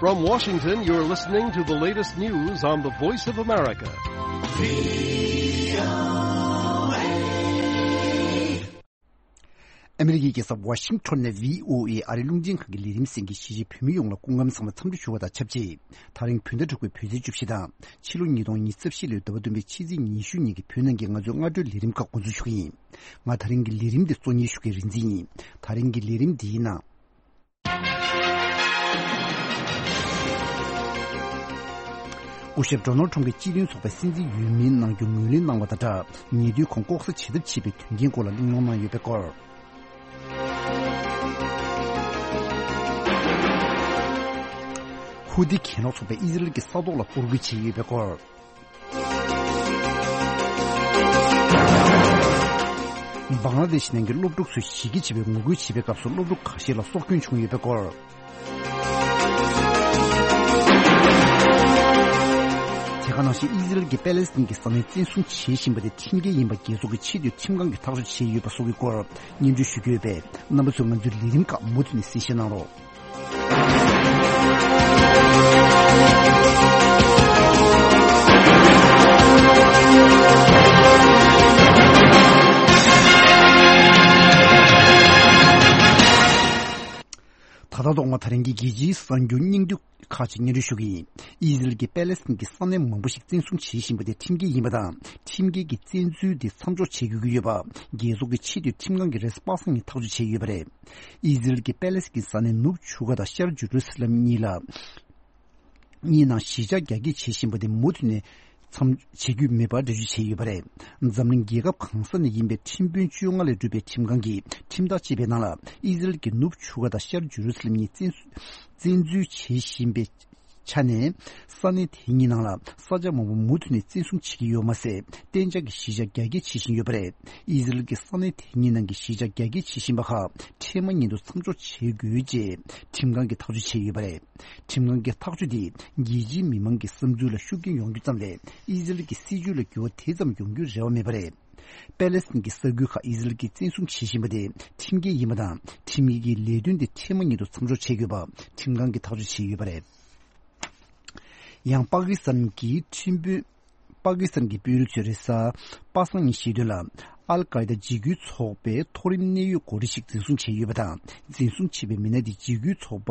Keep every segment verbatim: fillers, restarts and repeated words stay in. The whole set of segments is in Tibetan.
From Washington, you're listening to the latest news on the Voice of America. ཨ་མི་རི་ཀའི་རྒྱལ་ས་ཝ་ཤིང་ཊོན་ནས་བྷི་ཨོ་ཨེ་ཨ་རིའི་རླུང་འཕྲིན་ཁང་གི་ལས་རིམ་གསན་མཁན་གཞིས་བྱེས་བོད་མི་ཡོངས་ལ་སྐུ་ཁམས་བཟང་པོ་འཚམས་འདྲི་ཞུ་བ་དང་ཆབས་ཅིག་ད་རིང་བོད་ཟླ་དྲུག་པའི་བོད་ཚེས་བཅུ་བཞི་དང་ཕྱི་ལོ་ཉིས་སྟོང་ཉི་ཤུ་རྩ་བཞི་ལོའི་ཟླ་བ་བདུན་པའི་ཕྱི་ཚེས་ཉི་ཤུ་ཉིན་གྱི་བོད་ནང་གི་ང་ཚོའི་སྔ་དྲོའི་ལས་རིམ་ཁག་འགོ་འཛུགས་ཞུ་གི་ཡིན། ང་ད་རིང་གི་ལས་རིམ་འདི་གཙོ་གཉེར་ཞུ་མཁན་རིག་འཛིན་ཡིན། ད་རིང་གི་ལས་རིམ་འདིའི་ནང་། སྐུ་ཞབས་ཌོ་ནལ་ཁྲོམ་གྱིས་སྤྱི་མཐུན་ཚོགས་པའི་སྲིད་འཛིན་འོས་མིའི་རྣམ་འགྱུར་ངོས་ལེན་གནང་བ་དང་སྦྲགས། ཉེ་དུས་ཁོང་ལྐོག་ཟ་བྱེད་ཐབས་བྱས་པའི་དོན་རྐྱེན་སྐོར་ལ་གླེང་སློང་གནང་ཡོད་པའི་སྐོར། ཧུ་ཐི་གྱེན་ལོག་ཚོགས་པས་ཨི་ཟི་རལ་གྱི་ས་ཐོག་ལ་གཏོར་རྒོལ་བྱས་ཡོད་པའི་སྐོར། བང་ལ་དེ་ཤི་ནང་གི་སློབ་ཕྲུག་ཚོས་ཞི་རྒོལ་བྱེད་པའི་ངོ་རྒོལ་བྱེད་པའི་སྐབས་སུ་སློབ་ཕྲུག་ཁ་ཤས་ལ་སྲོག་སྐྱོན་བྱུང་ཡོད་པའི་སྐོར། དེ་ག་ནང་བཞིན་ཨི་ཟི་རལ་གྱིས་པེ་ལེ་སི་ཐན་གྱི་ས་གནས་བཙན་བཟུང་བྱེད་བཞིན་པ་དེ་ཁྲིམས་འགལ་ཡིན་པ་རྒྱལ་ཚོགས་ཀྱི་ཆེས་མཐོའི་ཁྲིམས་ཁང་གིས་ཐག་གཅོད་བྱས་ཡོད་པ་སོགས་ཀྱི་སྐོར་སྙན་སྒྲོན་ཞུ་རྒྱུ་ཡོད་པས། རྣམ་པ་ཚོས་ང་ཚོའི་ལས་རིམ་ཁག་མུ་མཐུད་ནས་གསན་བཞེས་གནང་རོགས། ད་ལྟ་ཐོག་མ་ད་རིང་གི་རྒྱལ་སྤྱིའི་གསར་འགྱུར་སྙིང་བསྡུས་ཁག་ཅིག་སྙན་སྒྲོན་ཞུ་གི་ཡིན། ཨི་ཟི་རལ་གྱིས་པེ་ལེ་སི་ཐན་གྱི་ས་གནས་མང་པོ་ཞིག་བཙན་བཟུང་བྱེད་བཞིན་པ་དེ་ཁྲིམས་འགལ་ཡིན་པ་དང་། ཁྲིམས་འགལ་གྱི་བཙན་འཛུལ་དེ་མཚམས་འཇོག་བྱེད་དགོས་ཀྱི་ཡོད་པ། རྒྱལ་ཚོགས་ཀྱི་ཆེས་མཐོའི་ཁྲིམས་ཁང་གིས་རེས་གཟའ་པ་སངས་ཉིན་ཐག་གཅོད་བྱས་ཡོད་པ་རེད། ཨི་ཟི་རལ་གྱིས་པེ་ལེ་སི་ཐན་གྱི་ས་གནས་ནུབ་ཆུ་ཁ་དང་ཤར་ཇེ་རུ་སི་ལམ་གཉིས་ལ། གཉིས་ནང་གཞིས་ཆགས་རྒྱ་སྐྱེད་བྱེད་བཞིན་པ་དེ་མུ་མཐུད་ནས་མཚམས་བྱེད་རྒྱུ་མེད་པར་འགྲེལ་བརྗོད་བྱས་ཡོད་པ་རེད། འཛམ་གླིང་རྒྱལ་ཁབ་གང་ས་ནས་ཡིན་པའི་ཁྲིམས་དཔོན་བཅོ་ལྔ་ལས་གྲུབ་པའི་ཁྲིམས་ཁང་གིས་ཁྲིམས་ཐག་བཅད་པའི་ནང་ལ། ཨི་ཟི་རལ་གྱིས་ནུབ་ཆུ་ཁ་དང་ཤར་ཇེ་རུ་སི་ལམ་གཉིས་བཙན་བཙན་འཛུལ་བྱེད་བཞིན་པའི་ཆ་ནས། ས་གནས་དེ་གཉིས་ནང་ལ་ས་ཆ་མང་པོ་མུ་མཐུད་ནས་བཙན་བཟུང་བྱེད་ཀྱི་ཡོད་མ་ཟད། གཏན་འཇགས་ཀྱི་གཞིས་ཆགས་རྒྱ་སྐྱེད་བྱེད་བཞིན་ཡོད་པ་རེད། ཨི་ཟི་རལ་གྱིས་ས་གནས་དེ་གཉིས་ནང་གི་གཞིས་ཆགས་རྒྱ་སྐྱེད་བྱེད་བཞིན་པ་ཁག་འཕྲལ་མ་ཉིད་དུ་མཚམས་འཇོག་བྱེད་དགོས་ཅེས་ཁྲིམས་ཁང་གིས་ཐག་གཅོད་བྱས་ཡོད་པ་རེད། ཁྲིམས་ཁང་གི་ཐག་གཅོད་དེས་རྒྱལ་སྤྱིའི་མི་མང་གི་བསམ་ཚུལ་ལ་ཤུགས་རྐྱེན་ཡོང་རྒྱུ་ཙམ་ལས། ཨི་ཟི་རལ་གྱི་སྲིད་བྱུས་ལ་འགྱུར་བ་དེ་ཙམ་ཡོང་རྒྱུའི་རེ་བ་མེད་པ་རེད། པེ་ལེ་སི་ཐན་གྱི་ས་ཁུལ་ཁག་ཨི་ཟི་རལ་གྱིས་བཙན་བཟུང་བྱེད་བཞིན་པ་དེ་ཁྲིམས་འགལ་ཡིན་པ་དང་། ཁྲིམས་འགལ་གྱི་ལས་དོན་དེ་འཕྲལ་མ་ཉིད་དུ་མཚམས་འཇོག་བྱེད་དགོས་པ་ཁྲིམས་ཁང་གིས་ཐག་གཅོད་བྱས་ཡོད་པ་རེད། ཡང་པ་ཀི་སི་ཐན་གྱི་ཁྲིམས་དཔོན། པ་ཀི་སི་ཐན་གྱི་དཔོན་རིགས་ཚོས་རེས་གཟའ་པ་སངས་ཉིན་བཤད་དོན་ལ། ཨལ་ཀའི་ད་འཇིགས་སྐུལ་ཚོགས་པའི་མཐོ་རིམ་གནད་ཡོད་འགོ་ཁྲིད་ཞིག་འཛིན་བཟུང་བྱས་ཡོད་པ་དང་། འཛིན་བཟུང་བྱས་པའི་མི་སྣ་དེ་འཇིགས་སྐུལ་ཚོགས་པ་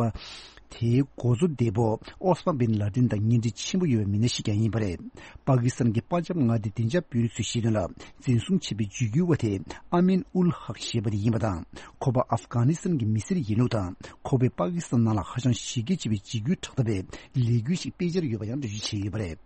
དེའི་འགོ་གཙོ་འདས་པོ་ཨོ་སྨ་བིན་ལ་ཏིན་དང་གཉེན་འབྲེལ་ཆེན་པོ་ཡོད་པའི་མི་སྣ་ཞིག་ཀྱང་ཡིན་པ་རེད། པ་ཀི་སི་ཐན་གྱི་པ་ཇབ་མངའ་སྡེའི་བདེ་འཇགས་དཔོན་རིགས་ཚོས་བཤད་དོན་ལ། འཛིན་བཟུང་བྱས་པའི་འཇིགས་སྐུལ་བ་དེ་ཨ་མིན་ཨུལ་ཧག་ཞེས་པ་དེ་ཡིན་པ་དང་། ཁོ་པ་ཨབ་གྷ་ནི་སི་ཐན་གྱི་མི་སེར་ཡིན་ལུགས་དང་། ཁོ་པས་པ་ཀི་སི་ཐན་ནང་ལ་ཧ་ཅང་ཞི་རྒོལ་བྱེད་པའི་འཇིགས་སྐུལ་དྲག་འཐབ་པའི་ལས་འགུལ་ཞིག་སྤེལ་འཆར་ཡོད་པ་ཡང་འགྲེལ་བརྗོད་བྱས་ཡོད་པ་རེད།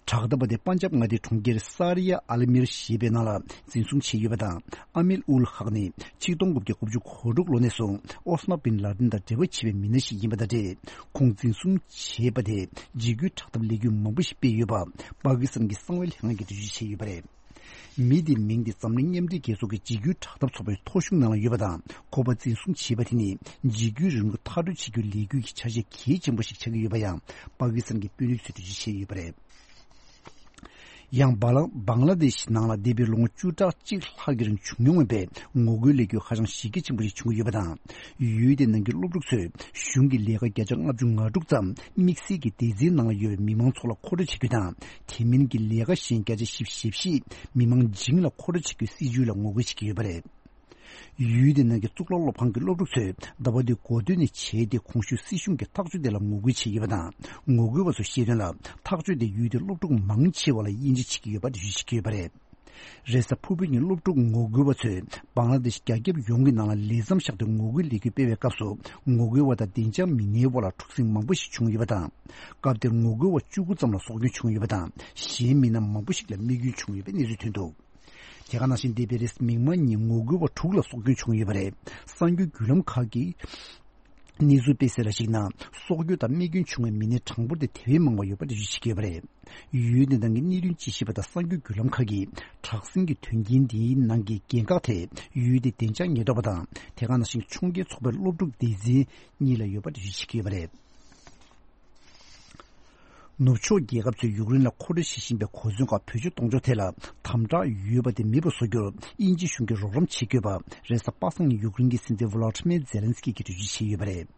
དྲག་འཐབ་པ་དེ་པན་ཇབ་མངའ་སྡེའི་གྲོང་ཁྱེར་ས་རི་ཡ་ཨལ་མིར་ཞེས་པའི་ནང་ལ་འཛིན་བཟུང་བྱས་ཡོད་པ་དང་། ཨ་མིན་ཨུལ་ཧག་ནི་ཆིག་སྟོང་དགུ་བརྒྱ་དགུ་བཅུ་གོ་དྲུག་ལོ་ནས་བཟུང་ཨོ་སྨ་བིན་ལ་ཏིན་དང་འབྲེལ་བ་བྱས་པའི་མི་སྣ་ཞིག་ཡིན་པ་དང་འབྲེལ། ཁོང་འཛིན་བཟུང་བྱས་པ་དེས་འཇིགས་སྐུལ་དྲག་འཐབ་ལས་འགུལ་མང་པོ་ཞིག་སྤེལ་ཡོད་པ་པ་ཀི་སི་ཐན་གྱི་གསང་བའི་ལྷན་ཁང་གིས་འགྲེལ་བརྗོད་བྱས་ཡོད་པ་རེད། མི་དེའི་མིང་དེ་འཛམ་གླིང་མཉམ་འབྲེལ་རྒྱལ་ཚོགས་ཀྱི་འཇིགས་སྐུལ་དྲག་འཐབ་ཚོགས་པའི་ཐོ་གཞུང་ནང་ལ་ཡོད་པ་དང་། ཁོ་པ་འཛིན་བཟུང་བྱས་པ་དེ་ནི་འཇིགས་སྐུལ་རིང་ལུགས་མཐར་སྐྲོད་བྱེད་རྒྱུའི་ལས་འགུལ་གྱི་ཆ་ཤས་གལ་ཆེན་པོ་ཞིག་ཆགས་ཀྱི་ཡོད་པ་ཡང་པ་ཀི་སི་ཐན་གྱི་དཔོན་རིགས་ཚོས་འགྲེལ་བརྗོད་བྱས་ཡོད་པ་རེད། ཡང་བ་ལང་བང་ལ་དེ་ཤི་ནང་ལ་འདས་པའི་ལོ་ངོ་བཅུ་ཕྲག་གཅིག་ལྷག་གི་རིང་བྱུང་མྱོང་མེད་པའི་ངོ་རྒོལ་ལས་འགུལ་ཧ་ཅང་གཞི་རྒྱ་ཆེན་པོ་ཞིག་བྱུང་གི་ཡོད་པ་དང་། ཡུལ་དེ་ནང་གི་སློབ་ཕྲུག་ཚོས་གཞུང་གི་ལས་ཀ་བརྒྱ་ཆ་ལྔ་བཅུ་ང་དྲུག་ཙམ་དམིགས་བསལ་གྱི་སྡེ་ཚན་ནང་ལ་ཡོད་པའི་མི་མང་ཚོ་ལ་མཁོ་སྤྲོད་བྱེད་རྒྱུ་དང་། དེ་མིན་གྱི་ལས་ཀ་གཞན་བརྒྱ་ཆ་བཞི་བཅུ་ཞེ་བཞི་མི་མང་བྱིངས་ལ་མཁོ་སྤྲོད་བྱེད་རྒྱུའི་སྲིད་ཇུས་ལ་ངོ་རྒོལ་བྱེད་ཀྱི་ཡོད་པ་རེད། ཡུལ་དེ་ནང་གི་གཙུག་ལག་སློབ་ཁང་གི་སློབ་ཕྲུག་ཚོས་ཟླ་བ་འདིའི་འགོ་སྟོད་ནས་བྱས་ཏེ། གོང་ཞུས་སྲིད་གཞུང་གི་ཐག་གཅོད་དེ་ལ་ངོ་རྒོལ་བྱས་ཡོད་པ་དང་། ངོ་རྒོལ་བ་ཚོས་བཤད་དོན་ལ། ཐག་གཅོད་དེ་ཡུལ་དེའི་སློབ་ཕྲུག་མང་ཆེ་བ་ལ་དབྱེ་འབྱེད་བྱེད་ཀྱི་ཡོད་པ་འགྲེལ་བརྗོད་བྱེད་ཀྱི་ཡོད་པ་རེད། རེས་གཟའ་ཕུར་བུའི་ཉིན་སློབ་ཕྲུག་ངོ་རྒོལ་བ་ཚོས་བང་ལ་དེ་ཤི་རྒྱ་ཁྱབ་ཡོངས་ཀྱི་ནང་ལ་ལས་མཚམས་བཞག་སྟེ་ངོ་རྒོལ་ལས་འགུལ་སྤེལ་བའི་སྐབས་སུ། ངོ་རྒོལ་བ་དང་བདེ་འཇགས་མི་སྣའི་དབར་ལ་འཁྲུག་ཟིང་མང་པོ་ཞིག་བྱུང་ཡོད་པ་དང་། སྐབས་དེར་ངོ་རྒོལ་བ་བཅུ་དགུ་ཙམ་ལ་སྲོག་སྐྱོན་བྱུང་ཡོད་པ་དང་། གཞན་མི་སྣ་མང་པོ་ཞིག་ལ་རྨས་སྐྱོན་བྱུང་ཡོད་པའི་གནས་ཚུལ་ཐོན་འདུག་དེ་ག་ནང་བཞིན་འདས་པའི་རེས་གཟའ་མིག་དམར་ཉིན་ངོ་རྒོལ་བ་དྲུག་ལ་སྲོག་སྐྱོན་བྱུང་ཡོད་པ་རེད། གསར་འགྱུར་བརྒྱུད་ལམ་ཁག་གིས་གནས་ཚུལ་སྤེལ་གསལ་ལ་གཞིགས་ན། སྲོག་སྐྱོན་དང་རྨས་སྐྱོན་བྱུང་བའི་མི་སྣའི་གྲངས་འབོར་དེ་དེ་བས་མང་བ་ཡོད་པ་འགྲེལ་བརྗོད་བྱེད་ཀྱི་ཡོད་པ་རེད། ཡུལ་དེ་ནང་གི་གནད་དོན་དཔྱད་ཞིབ་པ་དང་གསར་འགྱུར་བརྒྱུད་ལམ་ཁག་གིས་དྲག་ཟིང་གི་དོན་རྐྱེན་འདིའི་ནང་གི་འགན་ཁག་དེ་ཡུལ་དེའི་བདེ་འཇགས་ཉེན་རྟོག་པ་དང་། དེ་ག་ནང་བཞིན་ཁྱོང་རྒྱལ་ཚོགས་པའི་སློབ་ཕྲུག་སྡེ་ཚན་གཉིས་ལ་ཡོད་པ་འགྲེལ་བརྗོད་བྱེད་ཀྱི་ཡོད་པ་རེད། ནུབ་ཕྱོགས་རྒྱལ་ཁབ་ཚོས་ཡུཀ་རེན་ལ་མཁོ་སྤྲོད་བྱེད་བཞིན་པའི་གོ་མཚོན་ཁག་བེད་སྤྱོད་གཏོང་ཕྱོགས་ཐད་ལ་དམ་དྲག་ཡོད་པ་དེ་མེད་པར་བཟོ་རྒྱུར་དབྱིན་ཇི་གཞུང་གིས་རོགས་རམ་བྱེད་དགོས་པ། རེས་གཟའ་པ་སངས་ཉིན་ཡུཀ་རེན་གྱི་སྲིད་འཛིན་ཝོ་ལོ་ཏི་མེར་ཛེ་ལན་སི་ཀི་གིས་འགྲེལ་བརྗོད་བྱས་ཡོད་པ་རེད།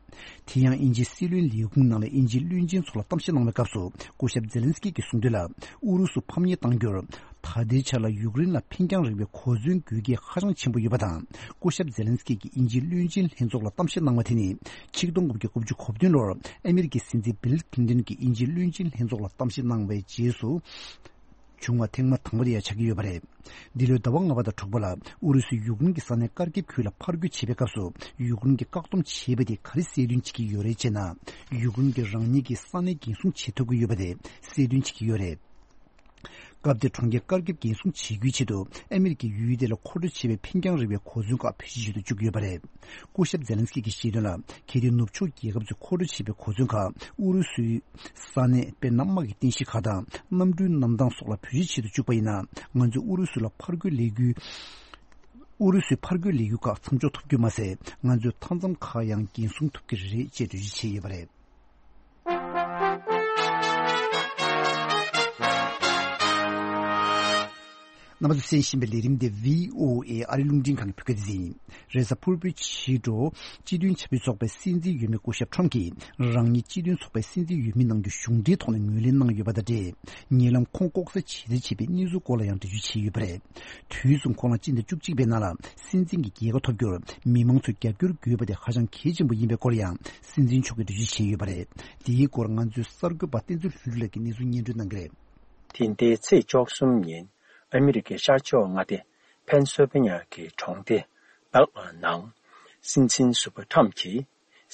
དེ་ཡང་དབྱིན་ཇིའི་སྲིད་བློན་ལས་ཁུངས་ནང་ལ་དབྱིན་ཇིའི་བློན་ཆེན་ཚོ་ལ་གཏམ་བཤད་གནང་བའི་སྐབས་སུ། སྐུ་ཞབས་ཛེ་ལན་སི་ཀི་གིས་གསུངས་དོན་ལ། ཨུ་རུ་སུ་ཕམ་ཉེས་གཏང་རྒྱུར་ད་ལྟའི་ཆར་ལ་ཡུཀ་རེན་ལ་འཕེན་རྒྱང་རིང་བའི་གོ་མཚོན་དགོས་གལ་ཧ་ཅང་ཆེན་པོ་ཡོད་པ་དང་། སྐུ་ཞབས་ཛེ་ལན་སི་ཀི་གིས་དབྱིན་ཇིའི་བློན་ཆེན་ལྷན་ཚོགས་ལ་གཏམ་བཤད་གནང་བ་དེ་ནི། ཆིག་སྟོང་དགུ་བརྒྱ་དགུ་བཅུ་གོ་བདུན་ལོར་ཨ་མེ་རི་ཁའི་སྲིད་འཛིན་བྷིལ་ཁི་ལིན་ཏོན་གྱིས་དབྱིན་ཇིའི་བློན་ཆེན་ལྷན་ཚོགས་ལ་གཏམ་བཤད་གནང་བའི་རྗེས་སུ། བྱུང་བ་ཐེངས་མ་དང་པོ་དེ་ཡང་ཆགས་ཀྱི་ཡོད་པ་རེད། འདི་ལོའི་ཟླ་བ་ལྔ་པ་དང་དྲུག་པ་ལ་ཨུ་རུ་སུས་ཡུཀ་རེན་གྱི་ས་གནས་ཀར་ཀིབ་ཁུལ་ལ་ཕར་རྒོལ་བྱེད་པའི་སྐབས་སུ། ཡུཀ་རེན་གྱིས་བཀག་སྡོམ་བྱས་པ་དེ་ག་རེ་གསལ་སྟོན་བྱེད་ཀྱི་ཡོད་རེད་ཅེ་ན། ཡུཀ་རེན་གྱིས་རང་ཉིད་ཀྱི་ས་གནས་འགན་སྲུང་བྱེད་ཐུབ་ཀྱི་ཡོད་པ་དེ་གསལ་སྟོན་བྱེད་ཀྱི་ཡོད་རེད། སྐབས་དེར་གྲོང་ཁྱེར་ཀར་ཀིབ་འགན་སྲུང་བྱེད་རྒྱུའི་ཆེད་དུ་ཨ་མེ་རི་ཁའི་ཡུལ་དེ་ལ་མཁོ་སྤྲོད་བྱེད་པའི་འཕེན་རྒྱང་རིང་བའི་གོ་མཚོན་ཁག་བེད་སྤྱོད་བྱེད་དུ་བཅུག་ཡོད་པ་རེད། སྐུ་ཞབས་ཛེ་ལན་སི་ཀི་གིས་བཤད་དོན་ལ། གལ་ཏེ་ནུབ་ཕྱོགས་རྒྱལ་ཁབ་ཚོས་མཁོ་སྤྲོད་བྱེད་པའི་གོ་མཚོན་ཁག་ཨུ་རུ་སུའི་ས་གནས། དཔེར་ན། དམག་གི་རྟེན་གཞི་ཁག་དང་གནམ་གྲུའི་གནམ་ཐང་སོགས་ལ་བེད་སྤྱོད་བྱེད་དུ་བཅུག་པ་ཡིན་ན། ང་ཚོས་ཨུ་རུ་སུ་ལ་ཕར་རྒོལ་ལས་འགུལ། ཨུ་རུ་སུའི་ཕར་རྒོལ་ལས་འགུལ་ཁག་མཚམས་འཇོག་ཐུབ་རྒྱུ་མ་ཟད། ང་ཚོས་མཐའ་མཚམས་ཁག་ཡང་འགན་སྲུང་ཐུབ་ཀྱི་རེད་ཅེས་འགྲེལ་བརྗོད་བྱས་ཡོད་པ་རེད། རྣམ་པ་ཚོས་གསན་བཞིན་པའི་ལས་རིམ་དེ་བྷི་ཨོ་ཨེ་ཨ་རིའི་རླུང་འཕྲིན་ཁང་གི་བོད་སྐད་སྡེ་ཚན་ཡིན། རེས་གཟའ་ཕུར་བུའི་ཕྱི་དྲོ། སྤྱི་མཐུན་ཆབ་སྲིད་ཚོགས་པའི་སྲིད་འཛིན་འོས་མི་སྐུ་ཞབས་ཁྲོམ་གྱིས། རང་ཉིད་སྤྱི་མཐུན་ཚོགས་པའི་སྲིད་འཛིན་འོས་མི་གནང་རྒྱུ་གཞུང་འབྲེལ་ཐོག་ནས་ངོས་ལེན་གནང་ཡོད་པ་དང་འབྲེལ། ཉེ་ལམ་ཁོང་ལྐོག་ཟ་བྱས་རྩིས་བྱས་པའི་གནས་ཚུལ་སྐོར་ལ་ཡང་འགྲེལ་བརྗོད་བྱས་ཡོད་པ་རེད། དུས་མཚུངས་ཁོང་ལ་སྤྱི་ཟླ་བཅུ་གཅིག་པའི་ནང་ལ་སྲིད་འཛིན་གྱི་རྒྱལ་ཁ་ཐོབ་རྒྱུར་མི་མང་ཚོས་རྒྱབ་སྐྱོར་དགོས་པ་དེ་ཧ་ཅང་གལ་ཆེན་པོ་ཡིན་པའི་སྐོར་ཡང་སྲིད་འཛིན་མཆོག་གིས་འགྲེལ་བརྗོད་བྱས་ཡོད་པ་རེད། འདིའི་སྐོར་ང་ཚོའི་གསར་འགོད་པ་བསྟན་འཛིན་ལྷུན་གྲུབ་ལགས་ཀྱིས་གནས་ཚུལ་སྙན་སྒྲོན་གནང་གི་རེད། དེ་ཟླའི་ཚེས་བཅུ་གསུམ་ཉིན་ཨ་མི་རི་ཀའི་ཤར་ཕྱོགས་མངའ་སྡེ་ཕེན་སིལ་ཝེ་ནི་ཡ་གི་གྲོང་སྡེ་བྷེལ་ཨར་ནང་སྲིད་འཛིན་ཟུར་པ་ཁྲམ་གྱིས་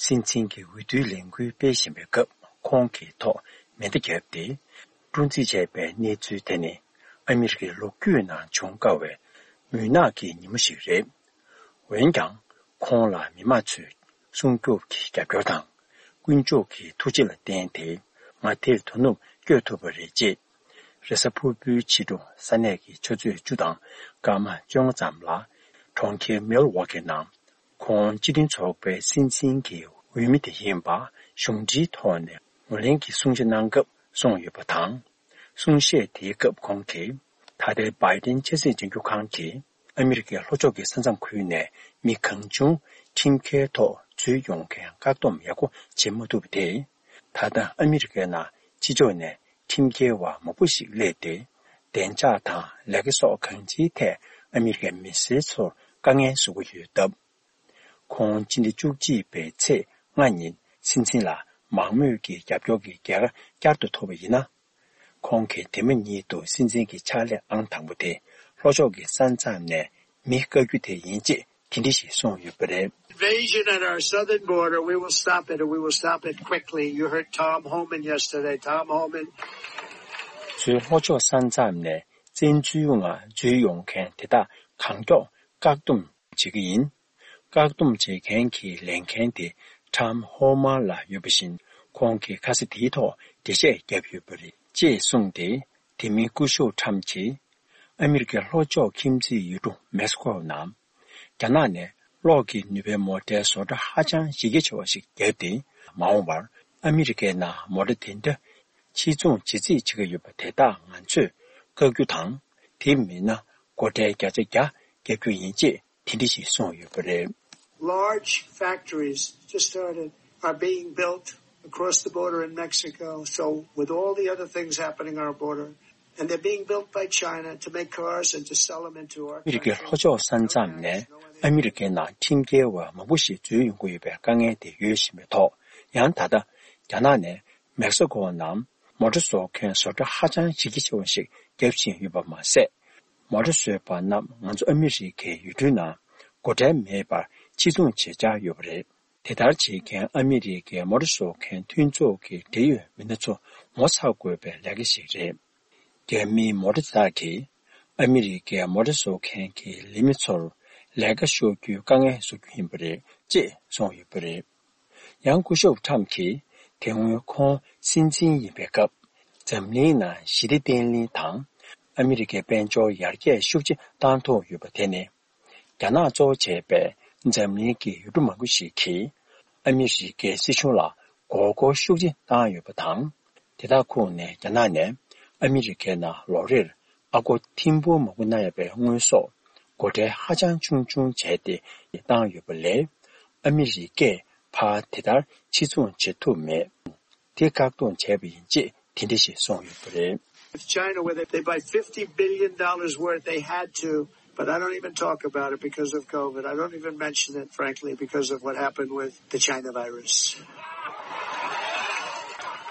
སྲིད་འཛིན་གྱི་འོས་བསྡུའི་ལས་འགུལ་སྤེལ་བཞིན་པའི་སྐབས། ཁོང་གི་ཐོག་མེ་མདའ་བརྒྱབ་སྟེ་འཁྲུག་འཛིང་བྱས་པའི་གནས་ཚུལ་དེ་ནི་ཨ་མི་རི་ཀའི་ལོ་རྒྱུས་ནང་བྱུང་དཀའ་བའི་མུན་ནག་གི་ཉིན་མོ་ཞིག་རེད། འོན་ཀྱང་། ཁོང་ལ་མི་མང་ཚོས་སྲུང་སྐྱོབ་ཀྱི་རྒྱབ་སྐྱོར་དང་། ཀུན་སྤྱོད་ཀྱི་ཐུགས་རྗེ་ལ་བརྟེན་ཏེ། ང་དེར་དོ་ནུབ་བསྐྱོད་ཐུབ་པ་རེད་ཅེས། རེས་གཟའ་ཕུར་བུའི་ཕྱི་དྲོ་ས་གནས་ཀྱི་ཆུ་ཚོད་བཅུ་དང་སྐར་མ་བཅོ་ལྔ་ཙམ་ལ། གྲོང་ཁྱེར་མིལ་ཝོ་ཀི་ནང་ཁོང་སྤྱི་མཐུན་ཚོགས་པའི་སྲིད་འཛིན་གྱི་འོས་མི་དེ་ཡིན་པ་གཞུང་འབྲེལ་ཐོག་ནས་ངོས་ལེན་གྱི་གསུང་བཤད་གནང་སྐབས་གསུངས་ཡོད་པ་དང་། གསུང་བཤད་དེའི་སྐབས་ཁོང་གིས། ད་ལྟའི་བྷའི་ཏིན་ཆབ་སྲིད་ལྗང་བསྒྱུར་ཁང་གིས་ཨ་མི་རི་ཀའི་ལྷོ་ཕྱོགས་ཀྱི་ས་མཚམས་ཁུལ་ནས་མི་གང་བྱུང་ཁྲིམས་འགལ་ཐོག་འཛུལ་ཡོང་མཁན་བཀག་སྡོམ་ཡག་པོ་བྱེད་མ་ཐུབ་པ་དེས། ད་ལྟ་ཨ་མི་རི་ཀའི་ནང་ཕྱི་ཕྱོགས་ནས་ཁྲིམས་འགལ་བ་མང་པོ་ཞིག་སླེབས་ཏེ། བདེ་འཇགས་དང་ལས་ཀ་སོགས་གང་ཅིའི་ཐད་ཨ་མི་རི་ཀའི་མི་སེར་ཚོར་དཀའ་ངལ་བཟོ་གི་ཡོད་སྟབས། ཁོང་སྤྱི་ཟླ་བཅུ་གཅིག་པའི་ཚེས་ལྔ་ཉིན་སྲིད་འཛིན་ལ་མང་མོས་ཀྱི་རྒྱབ་སྐྱོར་གྱི་རྒྱལ་ཁ་བསྐྱར་དུ་ཐོབ་པ་ཡིན་ན། ཁོང་གིས་དེ་མ་ཉིད་དུ་སྲིད་འཛིན་གྱི་ཕྱག་ལས་ཨང་དང་པོ་དེ་ལྷོ་ཕྱོགས་ཀྱི་ས་མཚམས་ནས་མི་བཀག་རྒྱུ་དེ་ཡིན་ཅེས་དེ་འདྲ་ཞིག་གསུངས་ཡོད་པ་རེད། Invasion at our southern border, we will stop it, and we will stop it quickly. You heard Tom Homan yesterday. Tom Homan. བཟོའི་ལྷོ་ཕྱོགས་ས་མཚམས་ནས་བཙན་འཛུལ་ངང་འཛུལ་ཡོང་མཁན་དེ་དག་གང་མགྱོགས་བཀག་སྡོམ་བྱེད་ཀྱི་ཡིན། བཀག་སྡོམ་བྱེད་མཁན་གྱི་ལས་འགན་དེ་ཁྲམ་ཧོ་མར་ལ་ཡོད་པ་བཞིན། ཁོང་གིས་ཁ་ས་དེའི་ཐོག་འགྲེལ་བཤད་བརྒྱབ་ཡོད་པ་རེད་ཅེས་གསུངས་ཏེ། དེ་མིན་སྐུ་ཞབས་ཁྲམ་གྱིས་ཨ་མི་རི་ཀའི་ལྷོ་ཕྱོགས་ཁྱིམ་མཚེས་ཡུལ་གྲུ་མེག་སི་ཀོ་ནང་རྒྱ་ནག་ནས་གློག་གི་ནུས་པའི་མོ་ཊའི་བཟོ་གྲྭ་ཧ་ཅང་གཞི་རྒྱ་ཆེ་བ་ཞིག་བརྒྱབ་སྟེ། མ་འོངས་པར་ཨ་མི་རི་ཀའི་ནང་མོ་ཊ་དེ་འདྲ་ཕྱིར་ཚོང་བྱེད་རྩིས་བྱེད་ཀྱི་ཡོད་པ་དེ་དག་ང་ཚོས་བཀག་རྒྱུ་དང་། དེ་མིན་ན་སྒོ་ཁྲལ་བརྒྱ་ཆ་བརྒྱ་བརྒྱབ་རྒྱུ་ཡིན་ཅེས། དེ་འདྲ་ཞིག་གསུངས་ཡོད་པ་རེད། Large factories just started are being built across the border in Mexico. So with all the other things happening on our border, and they're being built by China to make cars and to sell them into our country. ཨ་མི་རི་ཀའི་ལྷོ་ཕྱོགས་ས་མཚམས་ནས་ཨ་མི་རི་ཀའི་ནང་ཁྲིམས་འགལ་བ་མང་པོ་ཞིག་འཛུལ་ཡོང་གི་ཡོད་པའི་དཀའ་ངལ་དེ་ཡོད་བཞིན་པའི་ཐོག། ཡང་ད་ལྟ་རྒྱ་ནག་ནས་མེག་སི་ཀོ་ནང་མོ་ཊ་བཟོ་མཁན་བཟོ་གྲྭ་ཧ་ཅང་གཞི་རྒྱ་ཆེ་བ་ཞིག་བརྒྱབ་བཞིན་ཡོད་པ་མ་ཟད། མོ་ཊ་བཟོས་པ་རྣམས་ང་ཚོ་ཨ་མི་རི་ཀའི་ཡུལ་གྲུའི་ནང་སྒོ་ཁྲལ་མེད་པར་ཕྱིར་ཚོང་བྱེད་འཆར་ཡོད་པ་རེད། དེ་ལྟར་བྱེད་མཁན་ཨ་མི་རི་ཀའི་མོ་ཊ་བཟོ་མཁན་མཐུན་ཚོགས་ཀྱི་འབྲེལ་ཡོད་མི་སྣ་ཚོ་ངོ་ཚ་དགོས་པའི་ལས་ཀ་ཞིག་རེད། རྒྱ་མིའི་མོ་ཊ་དེ་དག་གིས་ཨ་མི་རི་ཀའི་མོ་ཊ་བཟོ་མཁན་གྱི་ལས་མི་ཚོར་ལས་ཀ་ཤོར་རྒྱུའི་དཀའ་ངལ་བཟོ་རྒྱུ་ཡིན་པ་རེད་ཅེས་གསུངས་ཡོད་པ་རེད། ཡང་སྐུ་ཞབས་ཁྲམ་གྱིས་དེ་སྔོན་ཁོང་སྲིད་འཛིན་ཡིན་པའི་སྐབས། འཛམ་གླིང་ནང་ཞི་བདེ་བརྟན་ལྷིང་དང་ཨ་མི་རི་ཀའི་དཔལ་འབྱོར་ཡར་རྒྱས་ཤུགས་ཆེ་བཏང་ཐུབ་ཡོད་པ་དེ་ནི། རྒྱ་ནག་གཙོ་བོ་བྱས་པའི་འཛམ་གླིང་གི་ཡུལ་གྲུ་མང་པོ་ཞིག་གིས་ཨ་མི་རི་ཀའི་སྲིད་གཞུང་ལ་མགོ་སྐོར་ཤུགས་ཆེ་བཏང་ཡོད་པ་དང་། དེ་དག་ཁོངས་ནས་རྒྱ་ནག་ནས་ཨ་མི་རི་ཀའི་ནང་ལོ་རེར་ཨ་སྒོར་ཐེར་འབུམ་མང་པོ་གནང་ཡ་བའི་དངོས་ཟོག་སྒོ་ཁྲལ་ཧ་ཅང་ཆུང་ཆུང་བྱས་ཏེ་བཏང་ཡོད་པ་ལས། ཨ་མི་རི་ཀས་ཕར་དེ་ལྟར་ཕྱིར་ཚོང་བྱེད་ཐུབ་མེད། དེ་བཀག་སྡོམ་བྱས་པ་ཡིན་ཅེས་དེ་འདྲ་ཞིག་གསུངས་ཡོད་པ་རེད། With China, where they, they buy fifty billion dollars worth, they had to, but I don't even talk about it because of COVID. I don't even mention it, frankly, because of what happened with the China virus.